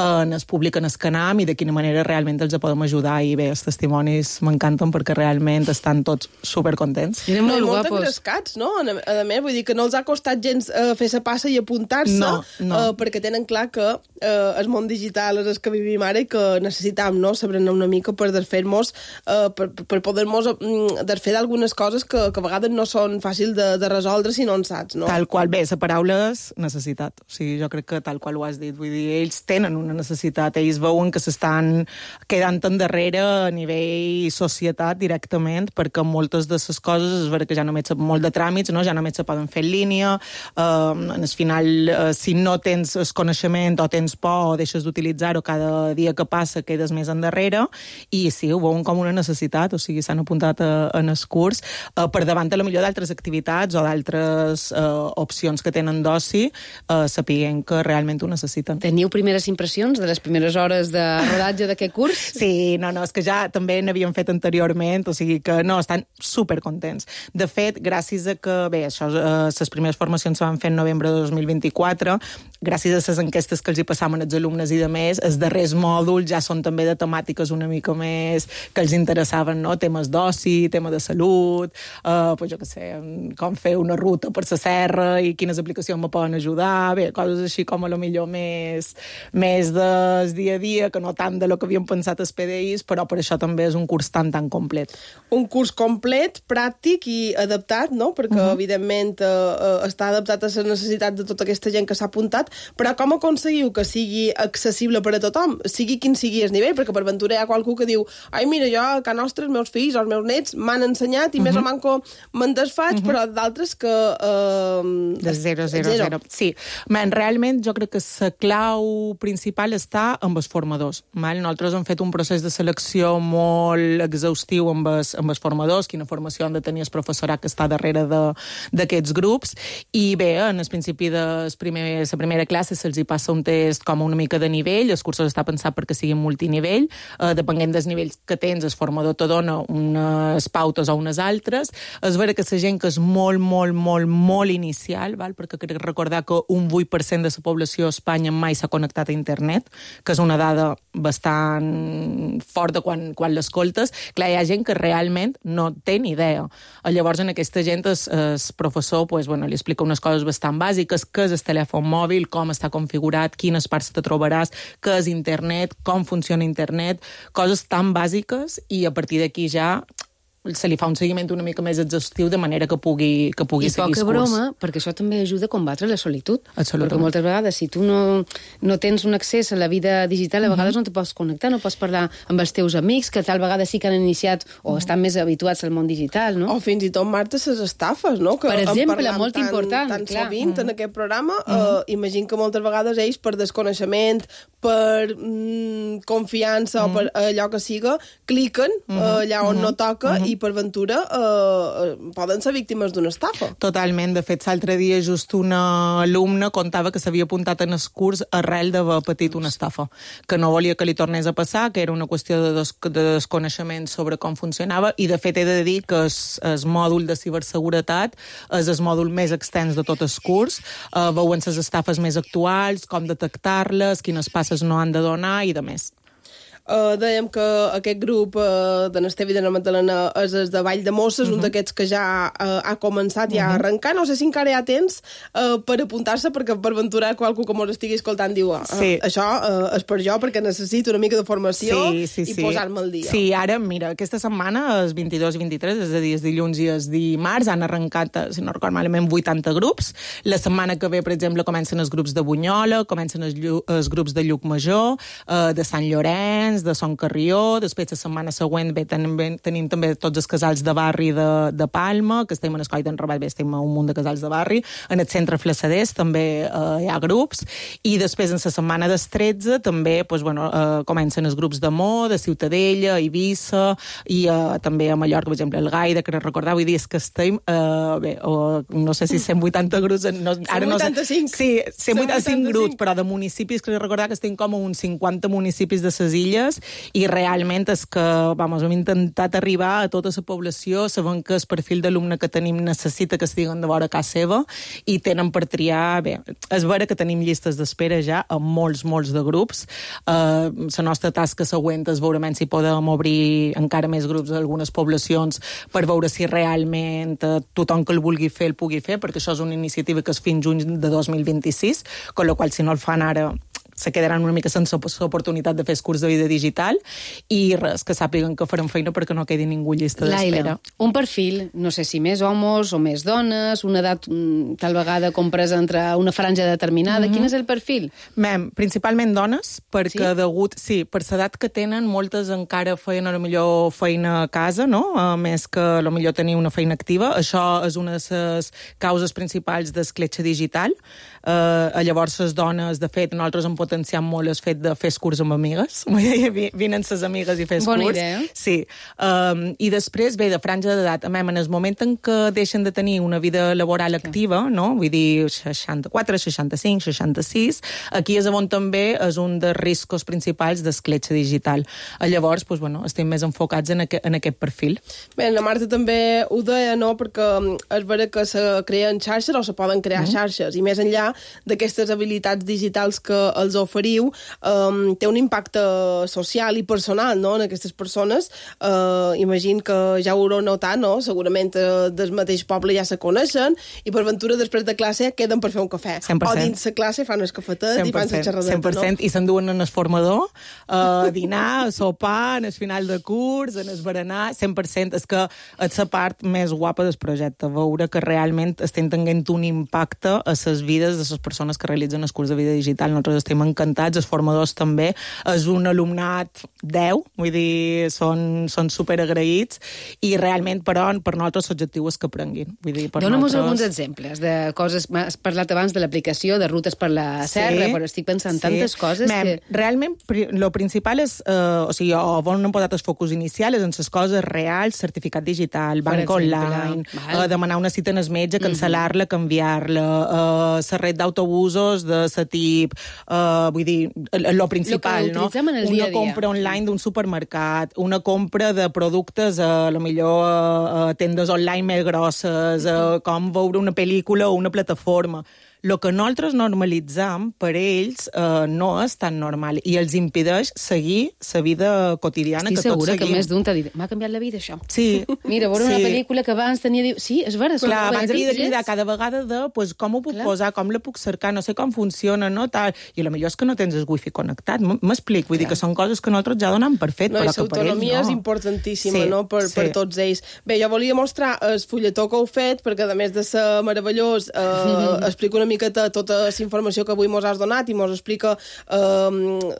S20: en es publica en el Canam i de quina manera realment els podem ajudar. I bé, els testimonis m'encanten perquè realment estan tots supercontents.
S17: Eren molt, molt engrescats, no? A, a més, vull dir que no els ha costat gens uh, fer la passa i apuntar-se,
S20: no, no.
S17: Uh, perquè tenen clar que uh, el món digital és el que vivim ara i que necessitam, no?, saber-ne una mica per desfer-nos, uh, per, per poder-nos uh, desfer d'algunes coses que, que a vegades no són fàcils de, de resoldre si no en saps, no?
S20: Tal qual, bé, la paraula és necessitat. O sigui, jo crec que tal qual ho has dit. Vull dir, ells tenen una necessitat, ells veuen que s'estan quedant endarrere a nivell societat directament, perquè moltes de les coses és vera que ja només molt de tràmits, no? Ja només se poden fer en línia, uh, en el final, uh, si no tens el coneixement o tens por o deixes d'utilitzar-ho, cada dia que passa quedes més endarrere, i sí, ho veuen com una necessitat, o sigui, s'han apuntat a, en el curs, uh, per davant a la millor d'altres activitats o d'altres uh, opcions que tenen d'oci, uh, sapiguem que realment ho necessiten.
S6: Teniu primeres impressions de les primeres hores de rodatge d'aquest curs?
S20: Sí, no, no, és que ja també n'havíem fet anteriorment, o sigui que no, estan supercontents. De fet, gràcies a que, bé, això, eh, les primeres formacions se van fer en novembre de dos mil vint-i-quatre, gràcies a les enquestes que els hi passaven als alumnes i de més, els darrers mòduls ja són també de temàtiques una mica més que els interessaven, no? Temes d'oci, tema de salut, eh, pues jo què sé, com fer una ruta per la serra i quines aplicacions me poden ajudar, bé, coses així com a lo millor més, més del dia a dia, que no tant de lo que havíem pensat els P D Is, però per això també és un curs tan, tan complet.
S17: Un curs complet, pràctic i adaptat, no? Perquè, uh-huh. evidentment, eh, està adaptat a les necessitats de tota aquesta gent que s'ha apuntat, però com aconseguiu que sigui accessible per a tothom? Sigui quin sigui el nivell, perquè per ventura hi ha qualcú que diu ai, mira, jo a casa nostra, els meus fills o els meus nets m'han ensenyat i uh-huh. més o manco me'n desfaig, uh-huh. però d'altres que... Eh,
S20: de zero, zero, zero, zero. Sí, man, realment jo crec que la clau principal està amb els formadors. Mal? Nosaltres hem fet un procés de selecció molt exhaustiu amb els, amb els formadors, quina formació han de tenir el professorat que està darrere d'aquests grups, i bé, en el principi de primer, la primera classe se'ls hi passa un test com una mica de nivell, el curs està pensat perquè sigui multinivell, eh, depenent dels nivells que tens, el formador te dona unes pautes o unes altres. És vera que la gent que és molt, molt, molt, molt inicial, val? Perquè crec recordar que un vuit per cent de la població a Espanya mai s'ha connectat a internet, que és una dada bastant forta quan, quan l'escoltes. Clar, hi ha gent que realment no té ni idea. Llavors, en aquesta gent, el, el professor pues, bueno, li explica unes coses bastant bàsiques, què és el telèfon mòbil, com està configurat, quines parts te trobaràs, què és internet, com funciona internet, coses tan bàsiques, i a partir d'aquí ja se li fa un seguiment una mica més exhaustiu de manera que pugui, que pugui
S6: I
S20: seguir el curs.
S6: I poca broma, perquè això també ajuda a combatre la solitud.
S20: Absolutament.
S6: Perquè moltes vegades, si tu no, no tens un accés a la vida digital, a vegades uh-huh. no te pots connectar, no pots parlar amb els teus amics, que tal vegada sí que han iniciat o uh-huh. estan més habituats al món digital, no?
S17: O fins i tot, Marta, les estafes, no? Que
S6: per exemple, molt
S17: tan,
S6: important.
S17: Tan
S6: clar.
S17: sovint uh-huh. en aquest programa,
S6: uh-huh.
S17: eh, imagino que moltes vegades ells, per desconeixement, per mm, confiança uh-huh. o per allò que siga, cliquen uh-huh. eh, allà on uh-huh. no toca uh-huh. i per ventura Uh, poden ser víctimes d'una estafa.
S20: Totalment. De fet, l'altre dia just una alumna contava que s'havia apuntat en el curs arrel d'haver patit una estafa, que no volia que li tornés a passar, que era una qüestió de, des de desconeixement sobre com funcionava, i de fet he de dir que el mòdul de ciberseguretat és el mòdul més extens de tot el curs. Uh, veuen les estafes més actuals, com detectar-les, quines passes no han de donar i de més.
S17: Uh, dèiem que aquest grup uh, de n'Esteve i de na Magdalena és el de Vall de Mosses, uh-huh. un d'aquests que ja uh, ha començat, ja uh-huh. a arrencar. No sé si encara hi ha temps uh, per apuntar-se, perquè per venturar qualcú que mos estigui escoltant diu uh, sí. això uh, és per jo, perquè necessito una mica de formació
S20: sí, sí,
S17: i
S20: sí.
S17: posar-me al dia.
S20: Sí, ara, mira, aquesta setmana, els vint-i-dos i vint-i-tres, és a dir, els dilluns i els dimarts, han arrencat, si no record malament, vuitanta grups. La setmana que ve, per exemple, comencen els grups de Bunyola, comencen els, els grups de Llucmajor, uh, de Sant Llorenç, Vicenç, de Son Carrió, després la setmana següent bé, tenim, bé, tenim també tots els casals de barri de, de Palma, que estem en Escoll d'en Rabat, bé, estem a un munt de casals de barri, en el centre Flassaders també eh, hi ha grups, i després en la setmana del tretze també pues, bueno, eh, comencen els grups d'amor, de Ciutadella, Eivissa, i eh, també a Mallorca, per exemple, el Gaida, que recordar, vull dir, és que estem, eh, bé, o, no sé si cent vuitanta grups... No, ara
S17: cent vuitanta-cinc.
S20: No sé, sí, cent vuitanta-cinc grups, però de municipis, que recordar que estem com a uns cinquanta municipis de ses illes, i realment és que, vamos, hem intentat arribar a tota la població, sabent que el perfil d'alumne que tenim necessita que estiguen de vora casa seva, i tenen per triar, bé, és vera que tenim llistes d'espera ja a molts, molts de grups. La uh, nostra tasca següent és veure si podem obrir encara més grups a algunes poblacions per veure si realment uh, tothom que el vulgui fer el pugui fer, perquè això és una iniciativa que és fins juny de dos mil vint-i-sis, con la qual si no el fan ara se quedaran una mica sense l'oportunitat de fer el curs de vida digital, i res, que sàpiguen que farem feina perquè no quedi ningú llista d'espera.
S6: Laila, un perfil, no sé si més homes o més dones, una edat tal vegada compresa entre una franja determinada, mm-hmm. Quin és el perfil?
S20: Mem, principalment dones, perquè sí? degut, sí, per l'edat que tenen, moltes encara feien a lo millor feina a casa, no? A més que a lo millor tenir una feina activa. Això és una de les causes principals d'escletxa digital. Uh, llavors, les dones, de fet, nosaltres hem potenciat molt el fet de fer curs amb amigues. Vinen ses amigues i fes
S6: Bona
S20: curs.
S6: idea.
S20: Sí. Um, I després, bé, de franja d'edat. En el moment en què deixen de tenir una vida laboral activa, no? Vull dir, seixanta-quatre, seixanta-cinc, seixanta-sis, aquí és on també és un dels riscos principals d'escletxa digital. Llavors, doncs, bueno, estem més enfocats en, aqu en aquest perfil.
S17: Bé, la Marta també ho deia, no?, perquè és vera que se creen xarxes o se poden crear mm. xarxes, i més enllà d'aquestes habilitats digitals que els oferiu, um, té un impacte social i personal, no?, en aquestes persones. Uh, imagino que ja ho haureu notat, no?, segurament uh, del mateix poble ja se coneixen, i per ventura després de classe queden per fer un cafè.
S20: cent per cent.
S17: O dins la classe fan el cafetet i fan la xerradeta,
S20: cent per cent,
S17: no?
S20: I s'enduen en el formador, a dinar, a sopar, en el final de curs, en el berenar, cent per cent. És que és la part més guapa del projecte, veure que realment estem tenint un impacte a les vides de les persones que realitzen el curs de vida digital. Nosaltres estem encantats, els formadors també. És un alumnat deu, vull dir, són, són superagraïts, i realment, però, per nosaltres l'objectiu és que aprenguin. Vull dir, per
S6: Dóna'm
S20: nosaltres...
S6: alguns exemples de coses... Has parlat abans de l'aplicació, de rutes per la serra, sí, però estic pensant sí. tantes coses
S20: Mem,
S6: que...
S20: Realment, el principal és, eh, o sigui, on hem posat el focus inicial és en les coses reals, certificat digital, banc online, eh, demanar una cita en el metge, cancel·lar-la, canviar-la, eh, la red d'autobusos de la tip, eh, vull dir, el principal, no?
S6: Una
S20: dia compra dia. online d'un supermercat, una compra de productes, a lo millor a, a tendes online més grosses, a, com veure una pel·lícula o una plataforma. El que nosaltres normalitzam, per ells, eh, no és tan normal i els impedeix seguir la vida quotidiana
S6: Estic
S20: que tots seguim.
S6: Estic segura que més d'un t'ha dit, m'ha canviat la vida, això.
S20: Sí.
S6: Mira, veure sí. una pel·lícula que abans tenia... Sí, és vera.
S20: Clar, abans havia de cridar cada vegada de pues, com ho puc Clar. posar, com la puc cercar, no sé com funciona, no? Tal. I a lo millor és que no tens el wifi connectat. M'explic, vull Clar. dir que són coses que nosaltres ja donem per fet,
S17: no,
S20: però que per ells no.
S17: L'autonomia és importantíssima,
S20: sí.
S17: no?, per,
S20: sí.
S17: per tots ells. Bé, jo volia mostrar el fulletó que heu fet, perquè a més de ser meravellós, eh, explico una miqueta tota la informació que avui mos has donat i mos explica eh,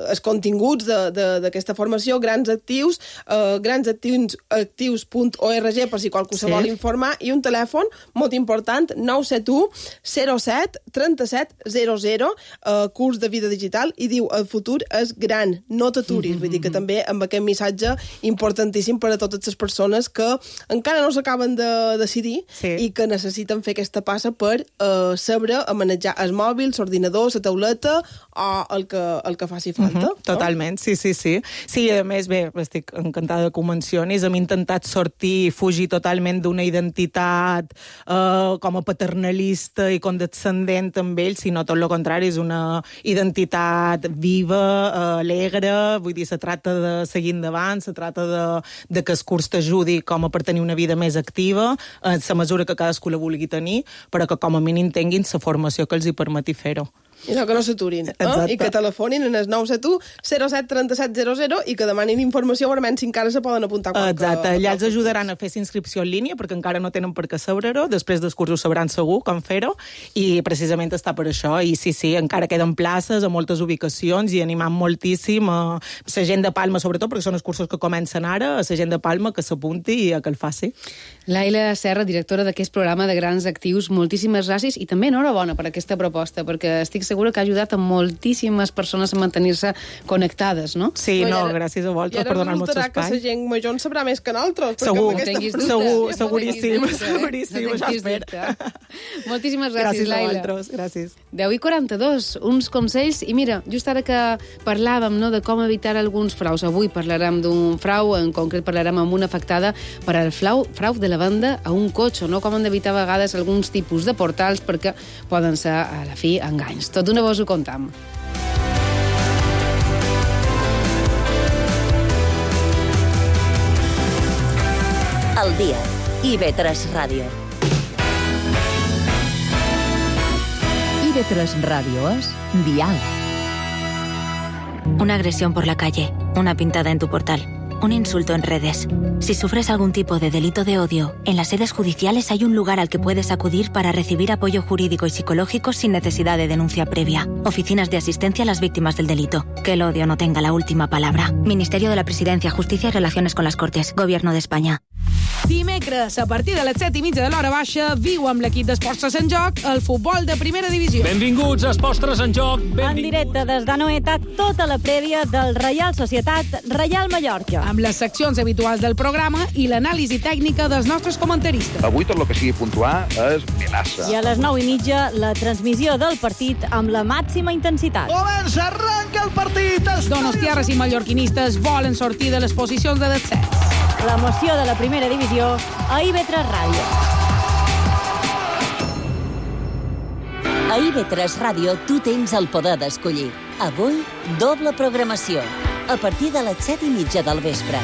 S17: els continguts d'aquesta formació, Grans Actius, eh, grans actius punt org, per si qualcú se sí. vol informar, i un telèfon molt important, nou set u zero set trenta-set zero zero, eh, curs de vida digital, i diu, el futur és gran, no t'aturis. Mm-hmm. Vull dir que també amb aquest missatge importantíssim per a totes les persones que encara no s'acaben de decidir sí. i que necessiten fer aquesta passa per eh, saber a manejar el mòbil, l'ordinador, la tauleta o el que, el que faci falta.
S20: Uh-huh, totalment, no? sí, sí, sí. Sí, a més, bé, estic encantada que ho mencionis, hem intentat sortir, fugir totalment d'una identitat eh, com a paternalista i condescendent amb ells, sinó tot el contrari, és una identitat viva, eh, alegre, vull dir, se tracta de seguir endavant, se tracta de, de que el curs t'ajudi com a per tenir una vida més activa, en la mesura que cadascú la vulgui tenir, però que com a mínim tinguin la formació que els hi permeti fer-ho.
S17: I no que no s'aturin, eh?
S6: Exacte.
S17: I que telefonin en el nou set u zero set tres set zero zero i que demanin informació, veurem si encara se poden apuntar.
S20: Exacte, allà els ajudaran a fer inscripció en línia, perquè encara no tenen per què saber-ho, després dels cursos sabran segur com fer-ho, i precisament està per això, i sí, sí, encara queden places a moltes ubicacions, i animam moltíssim a la gent de Palma, sobretot, perquè són els cursos que comencen ara, a la gent de Palma que s'apunti i a que el faci.
S6: Laila Serra, directora d'aquest programa de Grans Actius, moltíssimes gràcies, i també enhorabona per aquesta proposta, perquè estic segura que ha ajudat a moltíssimes persones a mantenir-se connectades, no?
S20: Sí, no, gràcies a vosaltres per donar-nos espai.
S17: I ara resultarà que la gent major en sabrà més que nosaltres.
S20: Segur,
S17: segur,
S20: segur, seguríssim, seguríssim, això espero.
S6: Moltíssimes gràcies,
S20: gràcies
S6: Laila.
S20: Gràcies a vosaltres, gràcies.
S6: deu i quaranta-dos, uns consells, i mira, just ara que parlàvem, no, de com evitar alguns fraus, avui parlarem d'un frau, en concret parlarem amb una afectada per al frau, frau de la venda a un cotxe, no? Com han d'evitar a vegades alguns tipus de portals, perquè poden ser, a la fi, enganys. Tot d'una vos ho contam.
S4: Al dia. I ve tres Ràdio.
S3: I ve tres Ràdio es Dial.
S11: Una agresión por la calle, una pintada en tu portal, un insulto en redes. Si sufres algún tipo de delito de odio, en las sedes judiciales hay un lugar al que puedes acudir para recibir apoyo jurídico y psicológico sin necesidad de denuncia previa. Oficinas de asistencia a las víctimas del delito. Que el odio no tenga la última palabra. Ministerio de la Presidencia, Justicia y Relaciones con las Cortes. Gobierno de España.
S21: Dimecres, a partir de les set i mitja de l'hora baixa, viu amb l'equip d'Esports Tres en Joc el futbol de primera divisió.
S22: Benvinguts a Esports Tres en Joc. Benvinguts.
S13: En directe des d'Anoeta, tota la prèvia del Reial Societat Reial Mallorca.
S21: Amb les seccions habituals del programa i l'anàlisi tècnica dels nostres comentaristes.
S23: Avui tot el que sigui puntuar és melaça.
S13: I a les nou i mitja, la transmissió del partit amb la màxima intensitat.
S22: Comença, arranca el partit!
S21: Donostiarres i mallorquinistes volen sortir de les posicions de descens.
S13: L'emoció de la primera divisió a I V tres Ràdio.
S4: A I V tres Ràdio tu tens el poder d'escollir. Avui, doble programació. A partir de les set i mitja del vespre.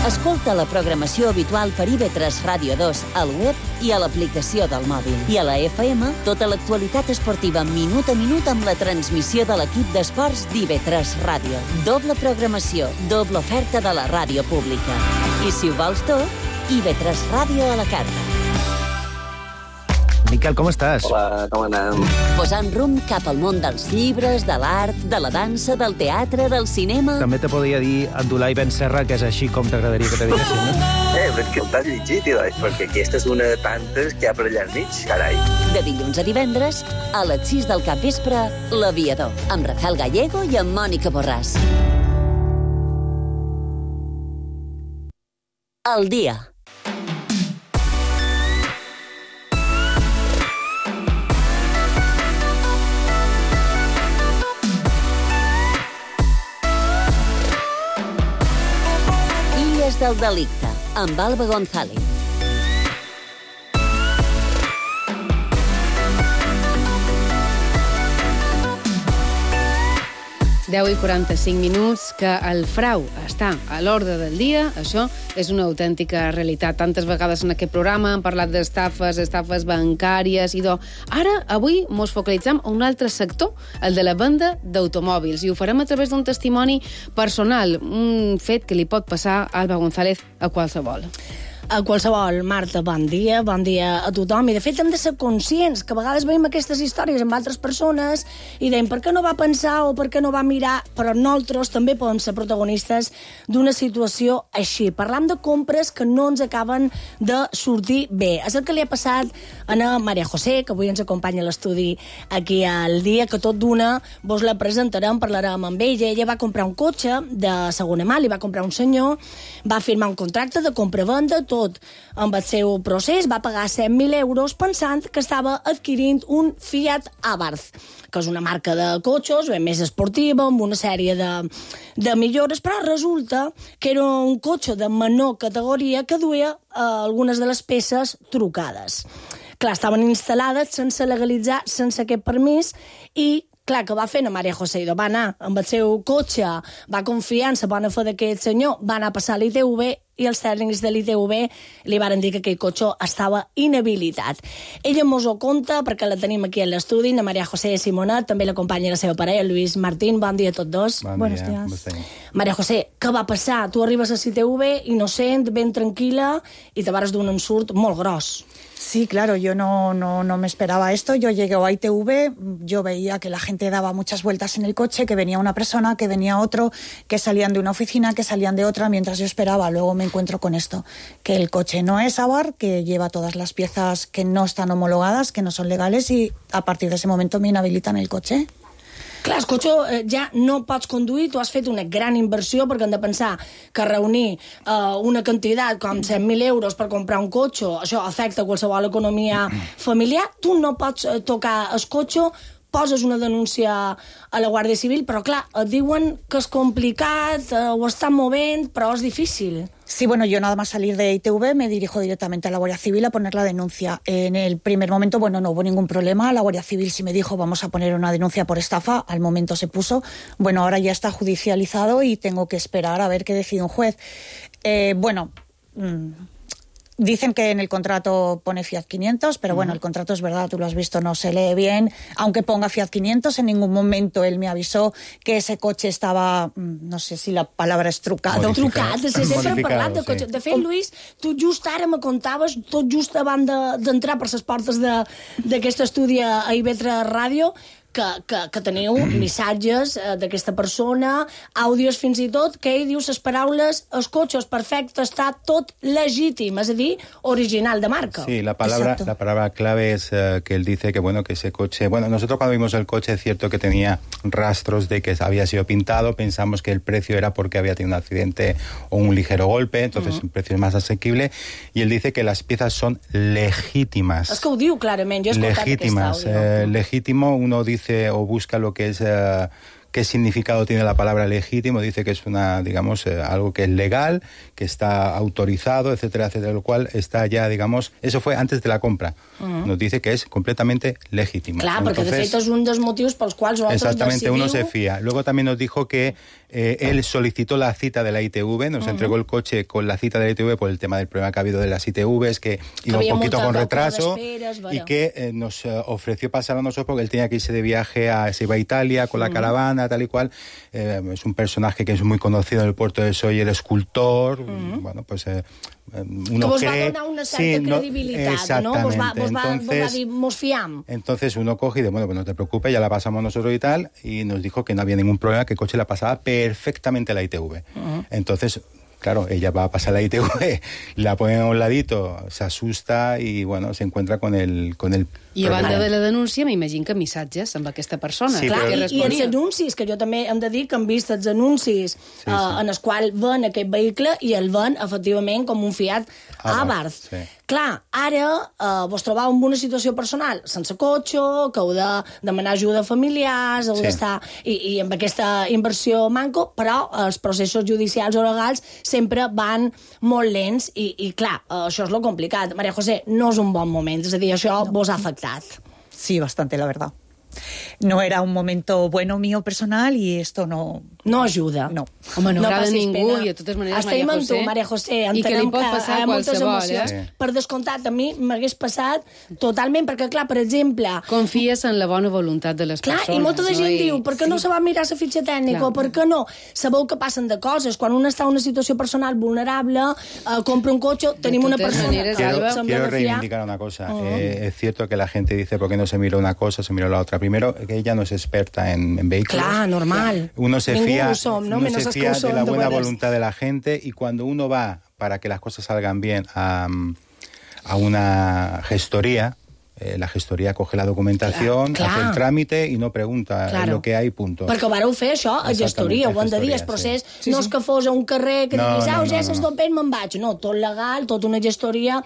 S4: Escolta la programació habitual per I V tres Ràdio dos al web i a l'aplicació del mòbil. I a la F M, tota l'actualitat esportiva minut a minut amb la transmissió de l'equip d'esports d'I V tres Ràdio. Doble programació, doble oferta de la ràdio pública. I si ho vols tot, I V tres Ràdio a la carta.
S24: Miquel, com estàs?
S5: Hola, com anem?
S4: Posant rumb cap al món dels llibres, de l'art, de la dansa, del teatre, del cinema...
S24: També te podria dir Abdulai Ben Serra, que és així com t'agradaria que te diguessin, no?
S5: Eh, però és que el t'has llegit, Ilai, perquè aquesta és una de tantes que hi ha per allà al mig, carai.
S4: De dilluns a divendres, a les sis del capvespre, L'Aviador, amb Rafael Gallego i amb Mònica Borràs. Al dia. Illes del delicte, amb Alba González.
S6: deu i quaranta-cinc minuts, que el frau està a l'ordre del dia, això és una autèntica realitat. Tantes vegades en aquest programa hem parlat d'estafes, estafes bancàries, i do. Ara, avui, mos focalitzem a un altre sector, el de la venda d'automòbils, i ho farem a través d'un testimoni personal, un fet que li pot passar a Alba González a qualsevol.
S25: A qualsevol. Marta, bon dia, bon dia a tothom. I de fet hem de ser conscients que a vegades veiem aquestes històries amb altres persones i deim per què no va pensar o per què no va mirar, però nosaltres també podem ser protagonistes d'una situació així. Parlam de compres que no ens acaben de sortir bé. És el que li ha passat a la Maria José, que avui ens acompanya a l'estudi aquí al dia, que tot d'una vos la presentarem, parlarem amb ella. Ella va comprar un cotxe de segona mà, li va comprar un senyor, va firmar un contracte de compra-venda, tot amb el seu procés, va pagar cent mil euros pensant que estava adquirint un Fiat Abarth, que és una marca de cotxes ben més esportiva, amb una sèrie de, de millores, però resulta que era un cotxe de menor categoria que duia eh, algunes de les peces trucades. Clar, estaven instal·lades sense legalitzar, sense aquest permís, i clar, que va fer la Maria José? Va anar amb el seu cotxe, va confiar en la bona fe d'aquest senyor, va anar a passar l'I T V i els tècnics de l'I T V li varen dir que aquell cotxe estava inhabilitat. Ella mos ho conta perquè la tenim aquí a l'estudi, la Maria José Simonet, també l'acompanya la seva parella, Lluís Martín. Bon dia a tots dos.
S1: Bon
S25: Buenos
S1: dia.
S25: días. Maria José, què va passar? Tu arribes a l'I T V innocent, ben tranquil·la, i te vares d'un ensurt molt gros.
S2: Sí, claro, yo no, no, no me esperaba esto. Yo llegué a I T V, yo veía que la gente daba muchas vueltas en el coche, que venía una persona, que venía otro, que salían de una oficina, que salían de otra, mientras yo esperaba. Luego me encuentro con esto, que el coche no es Abarth, que lleva todas las piezas que no están homologadas, que no son legales, y a partir de ese momento me inhabilitan el coche.
S25: Clar, el cotxe eh, ja no pots conduir, tu has fet una gran inversió, perquè hem de pensar que reunir eh, una quantitat com cent mil euros per comprar un cotxe, això afecta qualsevol economia familiar, tu no pots eh, tocar el cotxe, poses una denúncia a la Guàrdia Civil, però clar, et diuen que és complicat, eh, ho estan movent, però és difícil.
S2: Sí, bueno, yo nada más salir de I T V me dirijo directamente a la Guardia Civil a poner la denuncia. En el primer momento, bueno, no hubo ningún problema. La Guardia Civil sí me dijo, vamos a poner una denuncia por estafa. Al momento se puso. Bueno, ahora ya está judicializado y tengo que esperar a ver qué decide un juez. Eh, bueno... Mmm, Dicen que en el contrato pone Fiat quinientos, pero bueno, el contrato es verdad, tú lo has visto, no se lee bien. Aunque ponga Fiat quinientos, en ningún momento él me avisó que ese coche estava, no sé si la palabra és trucado.
S25: Trucat, sí, sempre hem parlat de cotxe. De fet, Lluís, tu just ara me contaves, tot just abans d'entrar per les portes d'aquest estudi a I V tres Ràdio, que, que, que teniu missatges eh, d'aquesta persona, àudios fins i tot, que ell diu les paraules, el cotxe és perfecte, està tot legítim, és a dir, original de marca.
S1: Sí, la palabra, la palabra clave es uh, que él dice que, bueno, que ese coche... Bueno, nosotros cuando vimos el coche es cierto que tenía rastros de que había sido pintado, pensamos que el precio era porque había tenido un accidente o un ligero golpe, entonces uh-huh. el precio es más asequible, y él dice que las piezas son legítimas.
S25: És que ho diu clarament, jo he escoltat
S1: legítimas,
S25: aquest àudio.
S1: Eh, legítimo, uno dice o busca lo que es uh, qué significado tiene la palabra legítimo, dice que es una, digamos, eh, algo que es legal, que está autorizado, etcétera, etcétera, lo cual está ya, digamos, eso fue antes de la compra. Uh-huh. Nos dice que es completamente legítimo.
S25: Clar, perquè de fet és un dels motius pels quals vosaltres
S1: exactamente,
S25: decidiu...
S1: uno se fía. Luego también nos dijo que eh, él solicitó la cita de la I T V, nos uh-huh. entregó el coche con la cita de la I T V por el tema del problema que ha habido de las I T Vs, que iba un poquito con retraso, esperas, y que eh, nos uh, ofreció pasar a nosotros porque él tenía que irse de viaje, a, se iba a Italia con la uh-huh. caravana, tal y cual. Eh, es un personaje que es muy conocido en el puerto de Sóller, escultor, uh-huh. bueno, pues... Eh, uno
S25: que vos
S1: cree,
S25: va donar una certa
S1: sí, no,
S25: credibilitat, no? Vos va, vos va, entonces, vos va dir, mos fiam.
S1: Entonces uno coge y dice, bueno, pues no te preocupes, ya la pasamos nosotros y tal, y nos dijo que no había ningún problema, que el coche la pasaba perfectamente la I T V. Uh-huh. Entonces... Claro, ella va a pasar la I T V, la pone a un ladito, se asusta i, bueno, se encuentra con el, con el
S6: I a banda de la denúncia, m'imagino que missatges amb aquesta persona.
S25: Sí, clar, però... I, i els anuncis, que jo també hem de dir que hem vist els anuncis sí, sí. Uh, en els quals ven aquest vehicle i el ven, efectivament, com un Fiat Abarth. Sí. Clar, ara uh, vos trobeu en una situació personal sense cotxe, que heu de demanar ajuda a familiars, heu sí. d'estar... I, I amb aquesta inversió manco, però els processos judicials o legals sempre van molt lents i, i clar, uh, això és lo complicat. Maria José, no és un bon moment, és a dir, això no. vos ha afectat.
S2: Sí, bastante, la verdad. No era un momento bueno mío personal y esto no...
S25: No ajuda.
S2: No.
S6: Home, no, no agrada a ningú
S25: pena.
S6: I de totes maneres,
S25: Estem
S6: Maria José...
S25: amb tu, Maria José.
S6: I que li pot
S25: que
S6: passar
S25: hi ha moltes emocions.
S6: Eh?
S25: Per descomptat, a mi m'hagués passat totalment, perquè, clar, per exemple...
S6: Confies en la bona voluntat de les
S25: clar,
S6: persones.
S25: I molta de gent
S6: no?
S25: diu, per què sí. no se va mirar la fitxa tècnica, clar. o per què no? Sabeu que passen de coses. Quan un està en una situació personal vulnerable, eh, compra un cotxe, tenim una persona...
S1: Maneres, quiero, quiero reivindicar una cosa. Uh-huh. Eh, es cierto que la gente dice, ¿por qué no se miró una cosa, se miró la otra? Primero, que ella no es experta en, en vehículos.
S25: Clar, normal.
S1: Uno se
S25: Ningú
S1: fía,
S25: som, no?
S1: uno
S25: Menos
S1: se fía de la buena
S25: puedes.
S1: voluntad de la gente, y cuando uno va, para que las cosas salgan bien, a, a una gestoría, eh, la gestoria coge la documentación, clar, clar. hace el tràmite i no pregunta claro. lo que hay, punto.
S25: Perquè ho vareu fer, això, a gestoria, ho han de dir, el procés sí. no és que fos a un carrer que no, diguis, ah, no, ja s'es no, no. me'n vaig. No, tot legal, tot una gestoria,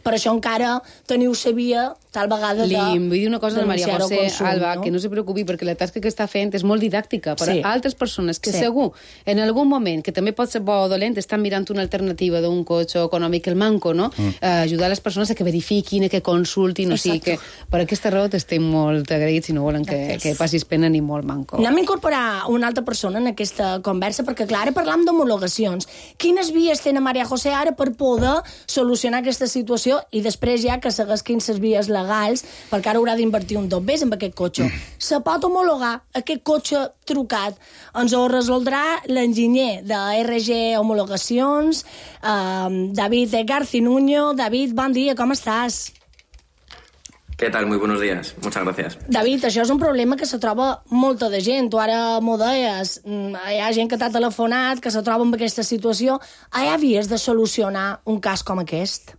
S25: per això encara teniu la via tal vegada de...
S6: Li vull dir una cosa de Maria José, consum, Alba, no? que no se preocupi, perquè la tasca que està fent és molt didàctica per sí. a altres persones que sí. segur, en algun moment, que també pot ser bo o dolent, estan mirant una alternativa d'un cotxe econòmic, el manco, no? Mm. Eh, ajudar les persones a que verifiquin, a que consultin, o sigui dir que per aquesta raó t'estem molt agraïts i no volen que, que passis pena ni molt manco.
S25: Anem a incorporar una altra persona en aquesta conversa, perquè, clar, ara parlam d'homologacions. Quines vies tenen Maria José ara per poder solucionar aquesta situació i després ja que segueix quines vies legals, perquè ara haurà d'invertir un dos bes en aquest cotxe. Se pot homologar aquest cotxe trucat? Ens ho resoldrà l'enginyer de R G Homologacions, eh, David Garcinuño. David, bon dia, com estàs?
S7: ¿Qué tal? Muy buenos días. Muchas gracias.
S25: David, això és un problema que se troba molta de gent. Tu ara m'ho deies. Hi ha gent que t'ha telefonat, que se troba en aquesta situació. Hi ha vies de solucionar un cas com aquest?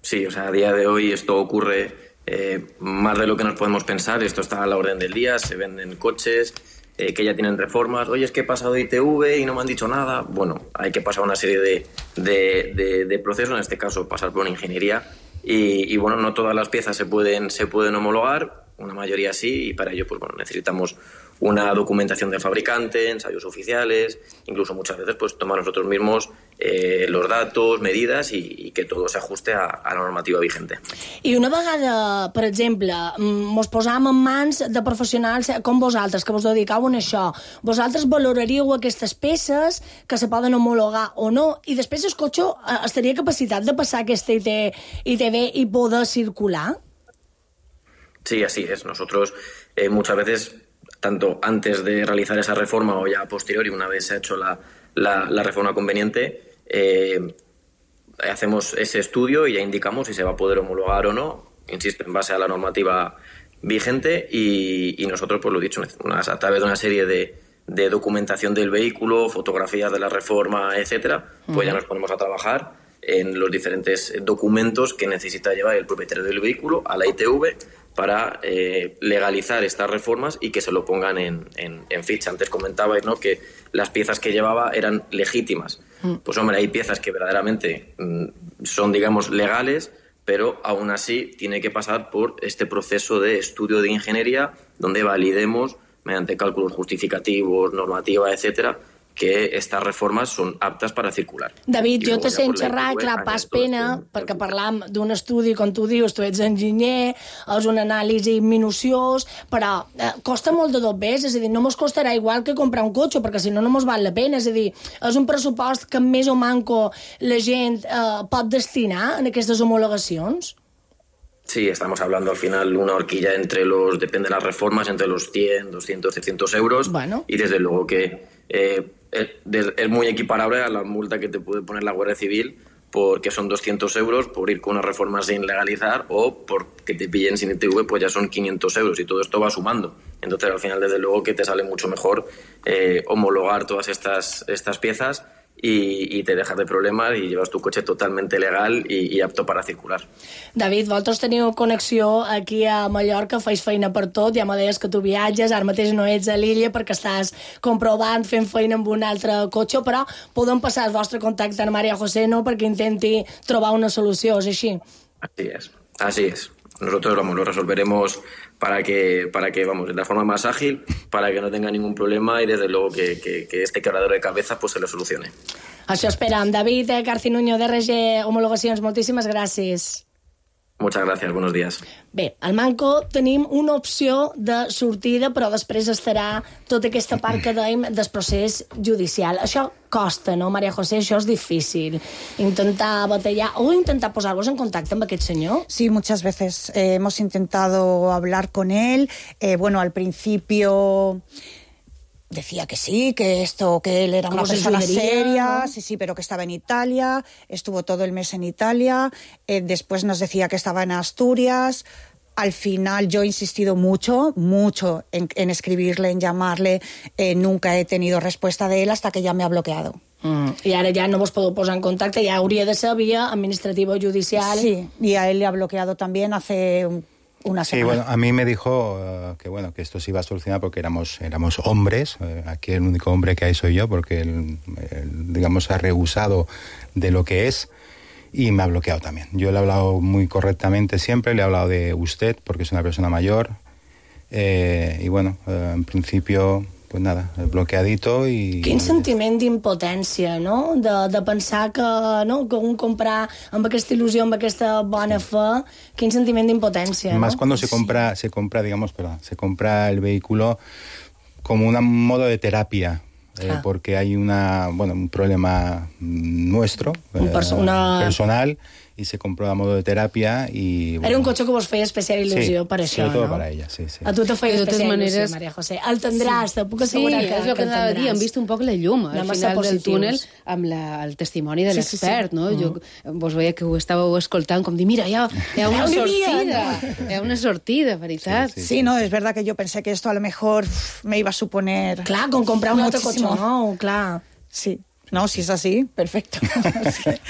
S7: Sí, o sea, a día de hoy esto ocurre eh, más de lo que nos podemos pensar. Esto está a la orden del día. Se venden coches eh, que ya tienen reformas. Oye, es que he pasado de I T V y no me han dicho nada. Bueno, hay que pasar una serie de, de, de, de procesos. En este caso, pasar por una ingeniería. Y, y bueno, no todas las piezas se pueden, se pueden homologar, una mayoría sí, y para ello pues bueno, necesitamos una documentación del fabricante, ensayos oficiales, incluso muchas veces pues tomar nosotros mismos eh, los datos, medidas y, y que todo se ajuste a, a la normativa vigente.
S25: I una vegada, per exemple, mos posam en mans de professionals com vosaltres, que vos dedicau a això, vosaltres valoraríeu aquestes peces que se poden homologar o no, i després el cotxe estaria capacitat de passar aquesta I T V y poder circular?
S7: Sí, así es. Nosotros eh, muchas veces, tanto antes de realizar esa reforma o ya a posteriori, una vez se ha hecho la, la, la reforma conveniente, eh, hacemos ese estudio y ya indicamos si se va a poder homologar o no, insisto, en base a la normativa vigente y, y nosotros, pues lo dicho, unas, a través de una serie de, de documentación del vehículo, fotografías de la reforma, etcétera, pues uh-huh. ya nos ponemos a trabajar en los diferentes documentos que necesita llevar el propietario del vehículo a la I T V para eh, legalizar estas reformas y que se lo pongan en, en, en ficha. Antes comentabais, ¿no?, que las piezas que llevaba eran legítimas. Mm. Pues hombre, hay piezas que verdaderamente mm, son, digamos, legales, pero aún así tiene que pasar por este proceso de estudio de ingeniería donde validemos, mediante cálculos justificativos, normativa, etcétera, que estas reformes són aptes per a circular.
S25: David, jo te sent xerrar, clar, pas pena, perquè parlam d'un estudi, com tu dius, tu ets enginyer, és un anàlisi minuciós, però eh, costa molt de dos bes, és a dir, no mos costarà igual que comprar un cotxe, perquè si no, no mos val la pena, és a dir, és un pressupost que més o manco la gent eh, pot destinar en aquestes homologacions?
S7: Sí, estamos hablando al final una horquilla entre los, depende de las reformas, entre los cien, doscientos, trescientos euros, bueno. Y desde luego que eh, es muy equiparable a la multa que te puede poner la Guardia Civil, porque son doscientos euros por ir con una reforma sin legalizar o porque te pillen sin I T V, pues ya son quinientos euros y todo esto va sumando. Entonces al final desde luego que te sale mucho mejor eh, homologar todas estas, estas piezas y, y te dejas de problemas y llevas tu cotxe totalmente legal i, i apto per a circular.
S25: David, vosaltres teniu connexió aquí a Mallorca, feis feina per tot, ja me deies que tu viatges, ara mateix no ets a l'illa perquè estàs comprovant, fent feina amb un altre cotxe, però podem passar el vostre contacte a Maria José, no?, perquè intenti trobar una solució, és així?
S7: Así es, así es. Nosotros, vamos, lo resolveremos para que, para que, vamos, de la forma más ágil, para que no tenga ningún problema y desde luego que, que, que este quebradero de cabeza pues se lo solucione.
S25: Això esperam. David Garcinuño, de R G Homologacions, moltíssimes gràcies.
S7: Muchas gracias, buenos días.
S25: Bé, al Manco tenim una opció de sortida, però després estarà tota aquesta part que dèiem del procés judicial. Això costa, no, Maria José? Això és difícil. Intentar batallar o intentar posar-vos en contacte amb aquest senyor.
S2: Sí, muchas veces eh, hemos intentado hablar con él. Eh, bueno, al principio decía que sí, que esto, que él era una persona seria, ¿no? sí, sí, pero que estaba en Italia, estuvo todo el mes en Italia, eh, después nos decía que estaba en Asturias. Al final yo he insistido mucho, mucho en, en escribirle, en llamarle, eh, nunca he tenido respuesta de él hasta que ya me ha bloqueado.
S25: Mm. Y ahora ya no vos podeu posar en contacte, ya hauria de ser vía administrativa o judicial.
S2: Sí, y a él le ha bloqueado también hace un Una
S1: sí, bueno, a mí me dijo uh, que bueno que esto se iba a solucionar porque éramos éramos hombres. Uh, aquí el único hombre que hay soy yo porque él, él, digamos, ha rehusado de lo que es y me ha bloqueado también. Yo le he hablado muy correctamente siempre, le he hablado de usted porque es una persona mayor eh, y bueno, uh, en principio pues nada, bloqueadito i...
S25: Quin sentiment d'impotència, no? De, de pensar que, no? que un comprar amb aquesta il·lusió, amb aquesta bona fe, quin sentiment d'impotència,
S1: Más
S25: no?
S1: cuando se compra, se compra, digamos, perdón, se compra el vehículo como un modo de terapia. Eh, ah. Porque hay una, bueno, un problema nuestro,
S25: un perso eh, una...
S1: personal, y se compró a modo de terapia y... Bueno,
S25: era un cotxe que vos feia especial il·lusió
S1: sí,
S25: per això,
S1: sobre todo
S25: no?
S1: para ella, sí, sí.
S25: A tu te feia especial
S6: maneres...
S25: il·lusió, Maria José. El tindràs, sí. te puc assegurar
S6: sí,
S25: que,
S6: és el que, que anava a dir, hem vist un poc la llum al
S25: Anem
S6: final del túnel amb la, el testimoni de l'expert, sí, sí, sí. no? Uh -huh. Jo, vos veia que ho estàveu escoltant com dir, mira, hi ha, hi ha una sortida, hi ha una sortida, veritat.
S2: Sí, sí, sí. sí, no, es verdad que yo pensé que esto a lo mejor me iba a suponer...
S25: Clar, com comprar un altre cotxe nou, clar.
S2: Sí. No, si és així, perfecte.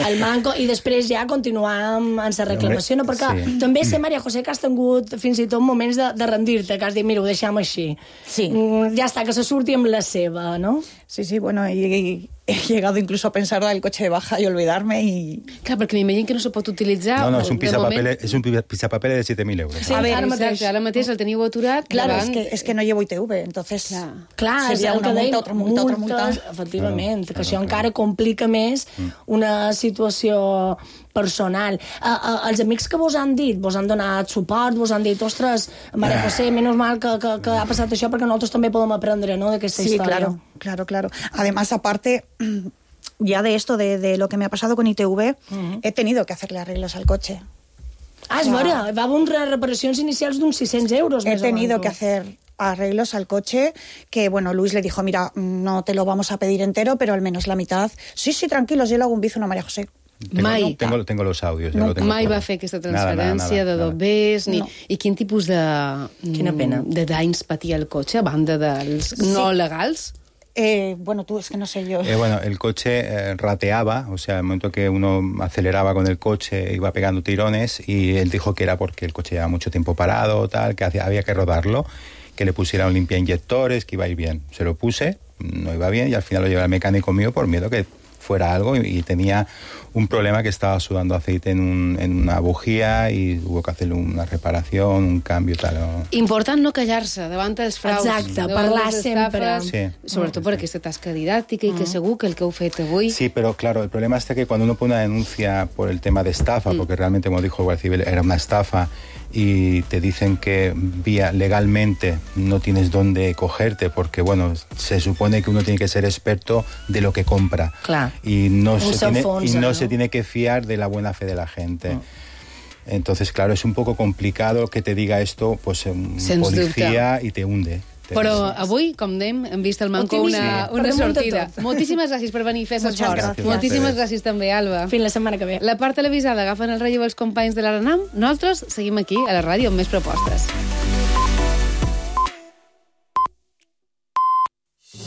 S25: El manco, i després ja continuar amb, amb la reclamació, no? Perquè sí. també sé, Maria José, que has tingut fins i tot moments de, de rendir-te, que has dit, mira, ho deixem així.
S2: Sí.
S25: Mm, ja està, que se surti amb la seva, no?
S2: Sí, sí, bueno, y, y he llegado incluso a pensar dar el coche de baja y olvidarme y...
S6: Clar, perquè m'imagino que no se pot utilitzar...
S1: No, no, és un pisapapeles, és un pisapapeles de siete mil euros.
S25: Sí, a ver, ara mateix.
S6: Ara mateix el teniu aturat.
S2: Claro, davant... es, que, es que no llevo I T V, entonces...
S25: Clar, clar
S2: seria una multa, otra multa, otra multa...
S25: Efectivament, claro, que això claro, encara complica més una situació personal. Uh, uh, els amics que vos han dit, vos han donat suport, vos han dit, ostres, Maria José, menos mal que, que, que ha passat això perquè nosaltres també podem aprendre, ¿no?, d'aquesta
S2: sí,
S25: història.
S2: Claro, claro, claro. Además, aparte, ya de esto, de, de lo que me ha pasado con I T V, uh-huh. he tenido que hacerle arreglos al coche.
S25: Ah, és vera, va haver unes reparacions inicials d'uns sis-cents euros.
S2: He tenido que hacer arreglos al coche, que bueno, Luis le dijo, mira, no te lo vamos a pedir entero, pero al menos la mitad. Sí, sí, tranquilos, yo le hago un bizu a María José.
S1: Tengo,
S6: Mai.
S1: Tengo, tengo los audios.
S6: No,
S1: lo tengo
S6: mai
S1: todo.
S6: va fer aquesta transferència
S1: nada, nada,
S6: de dobbers, ni...
S2: No.
S6: I quin tipus de...
S25: Quina pena.
S6: De danys patia el cotxe, a banda dels no
S2: sí.
S6: legals?
S2: Eh, bueno, tú, es que no sé yo.
S1: Eh, bueno, el coche eh, rateaba, o sea, el momento que uno aceleraba con el coche iba pegando tirones y él dijo que era porque el coche llevaba mucho tiempo parado, tal, que hacía, había que rodarlo, que le pusiera un limpiainyectores, que iba a ir bien. Se lo puse, no iba bien y al final lo llevé al mecánico mío por miedo que fuera algo y, y tenía un problema que estaba sudando aceite en, un, en una bujía y hubo que hacerle una reparación, un cambio tal. O...
S6: Important no callar-se davant dels fraus.
S25: Exacte, parlar sempre.
S1: Sí.
S6: Sobretot per aquesta tasca didàctica i que segur que el que heu fet avui...
S1: Sí, pero claro, el problema está que cuando uno pone una denuncia por el tema de estafa, mm. porque realmente, como dijo el Guardia Civil, era una estafa, y te dicen que vía legalmente no tienes dónde cogerte porque, bueno, se supone que uno tiene que ser experto de lo que compra.
S25: Clar.
S1: Y no, se tiene,
S25: fonsa,
S1: y no,
S25: no
S1: se tiene que fiar de la buena fe de la gente. Mm. Entonces, claro, es un poco complicado que te diga esto pues un Sens policía dubte. Y te hunde.
S6: Però avui, com dèiem, hem vist al Manco una, una sortida. Moltíssimes gràcies per venir a fer l'esforç. Moltíssimes gràcies també, Alba.
S25: Fins la setmana que ve.
S6: La part televisada agafen el relleu els companys de l'Aranam. Nosaltres seguim aquí, a la ràdio, amb més propostes.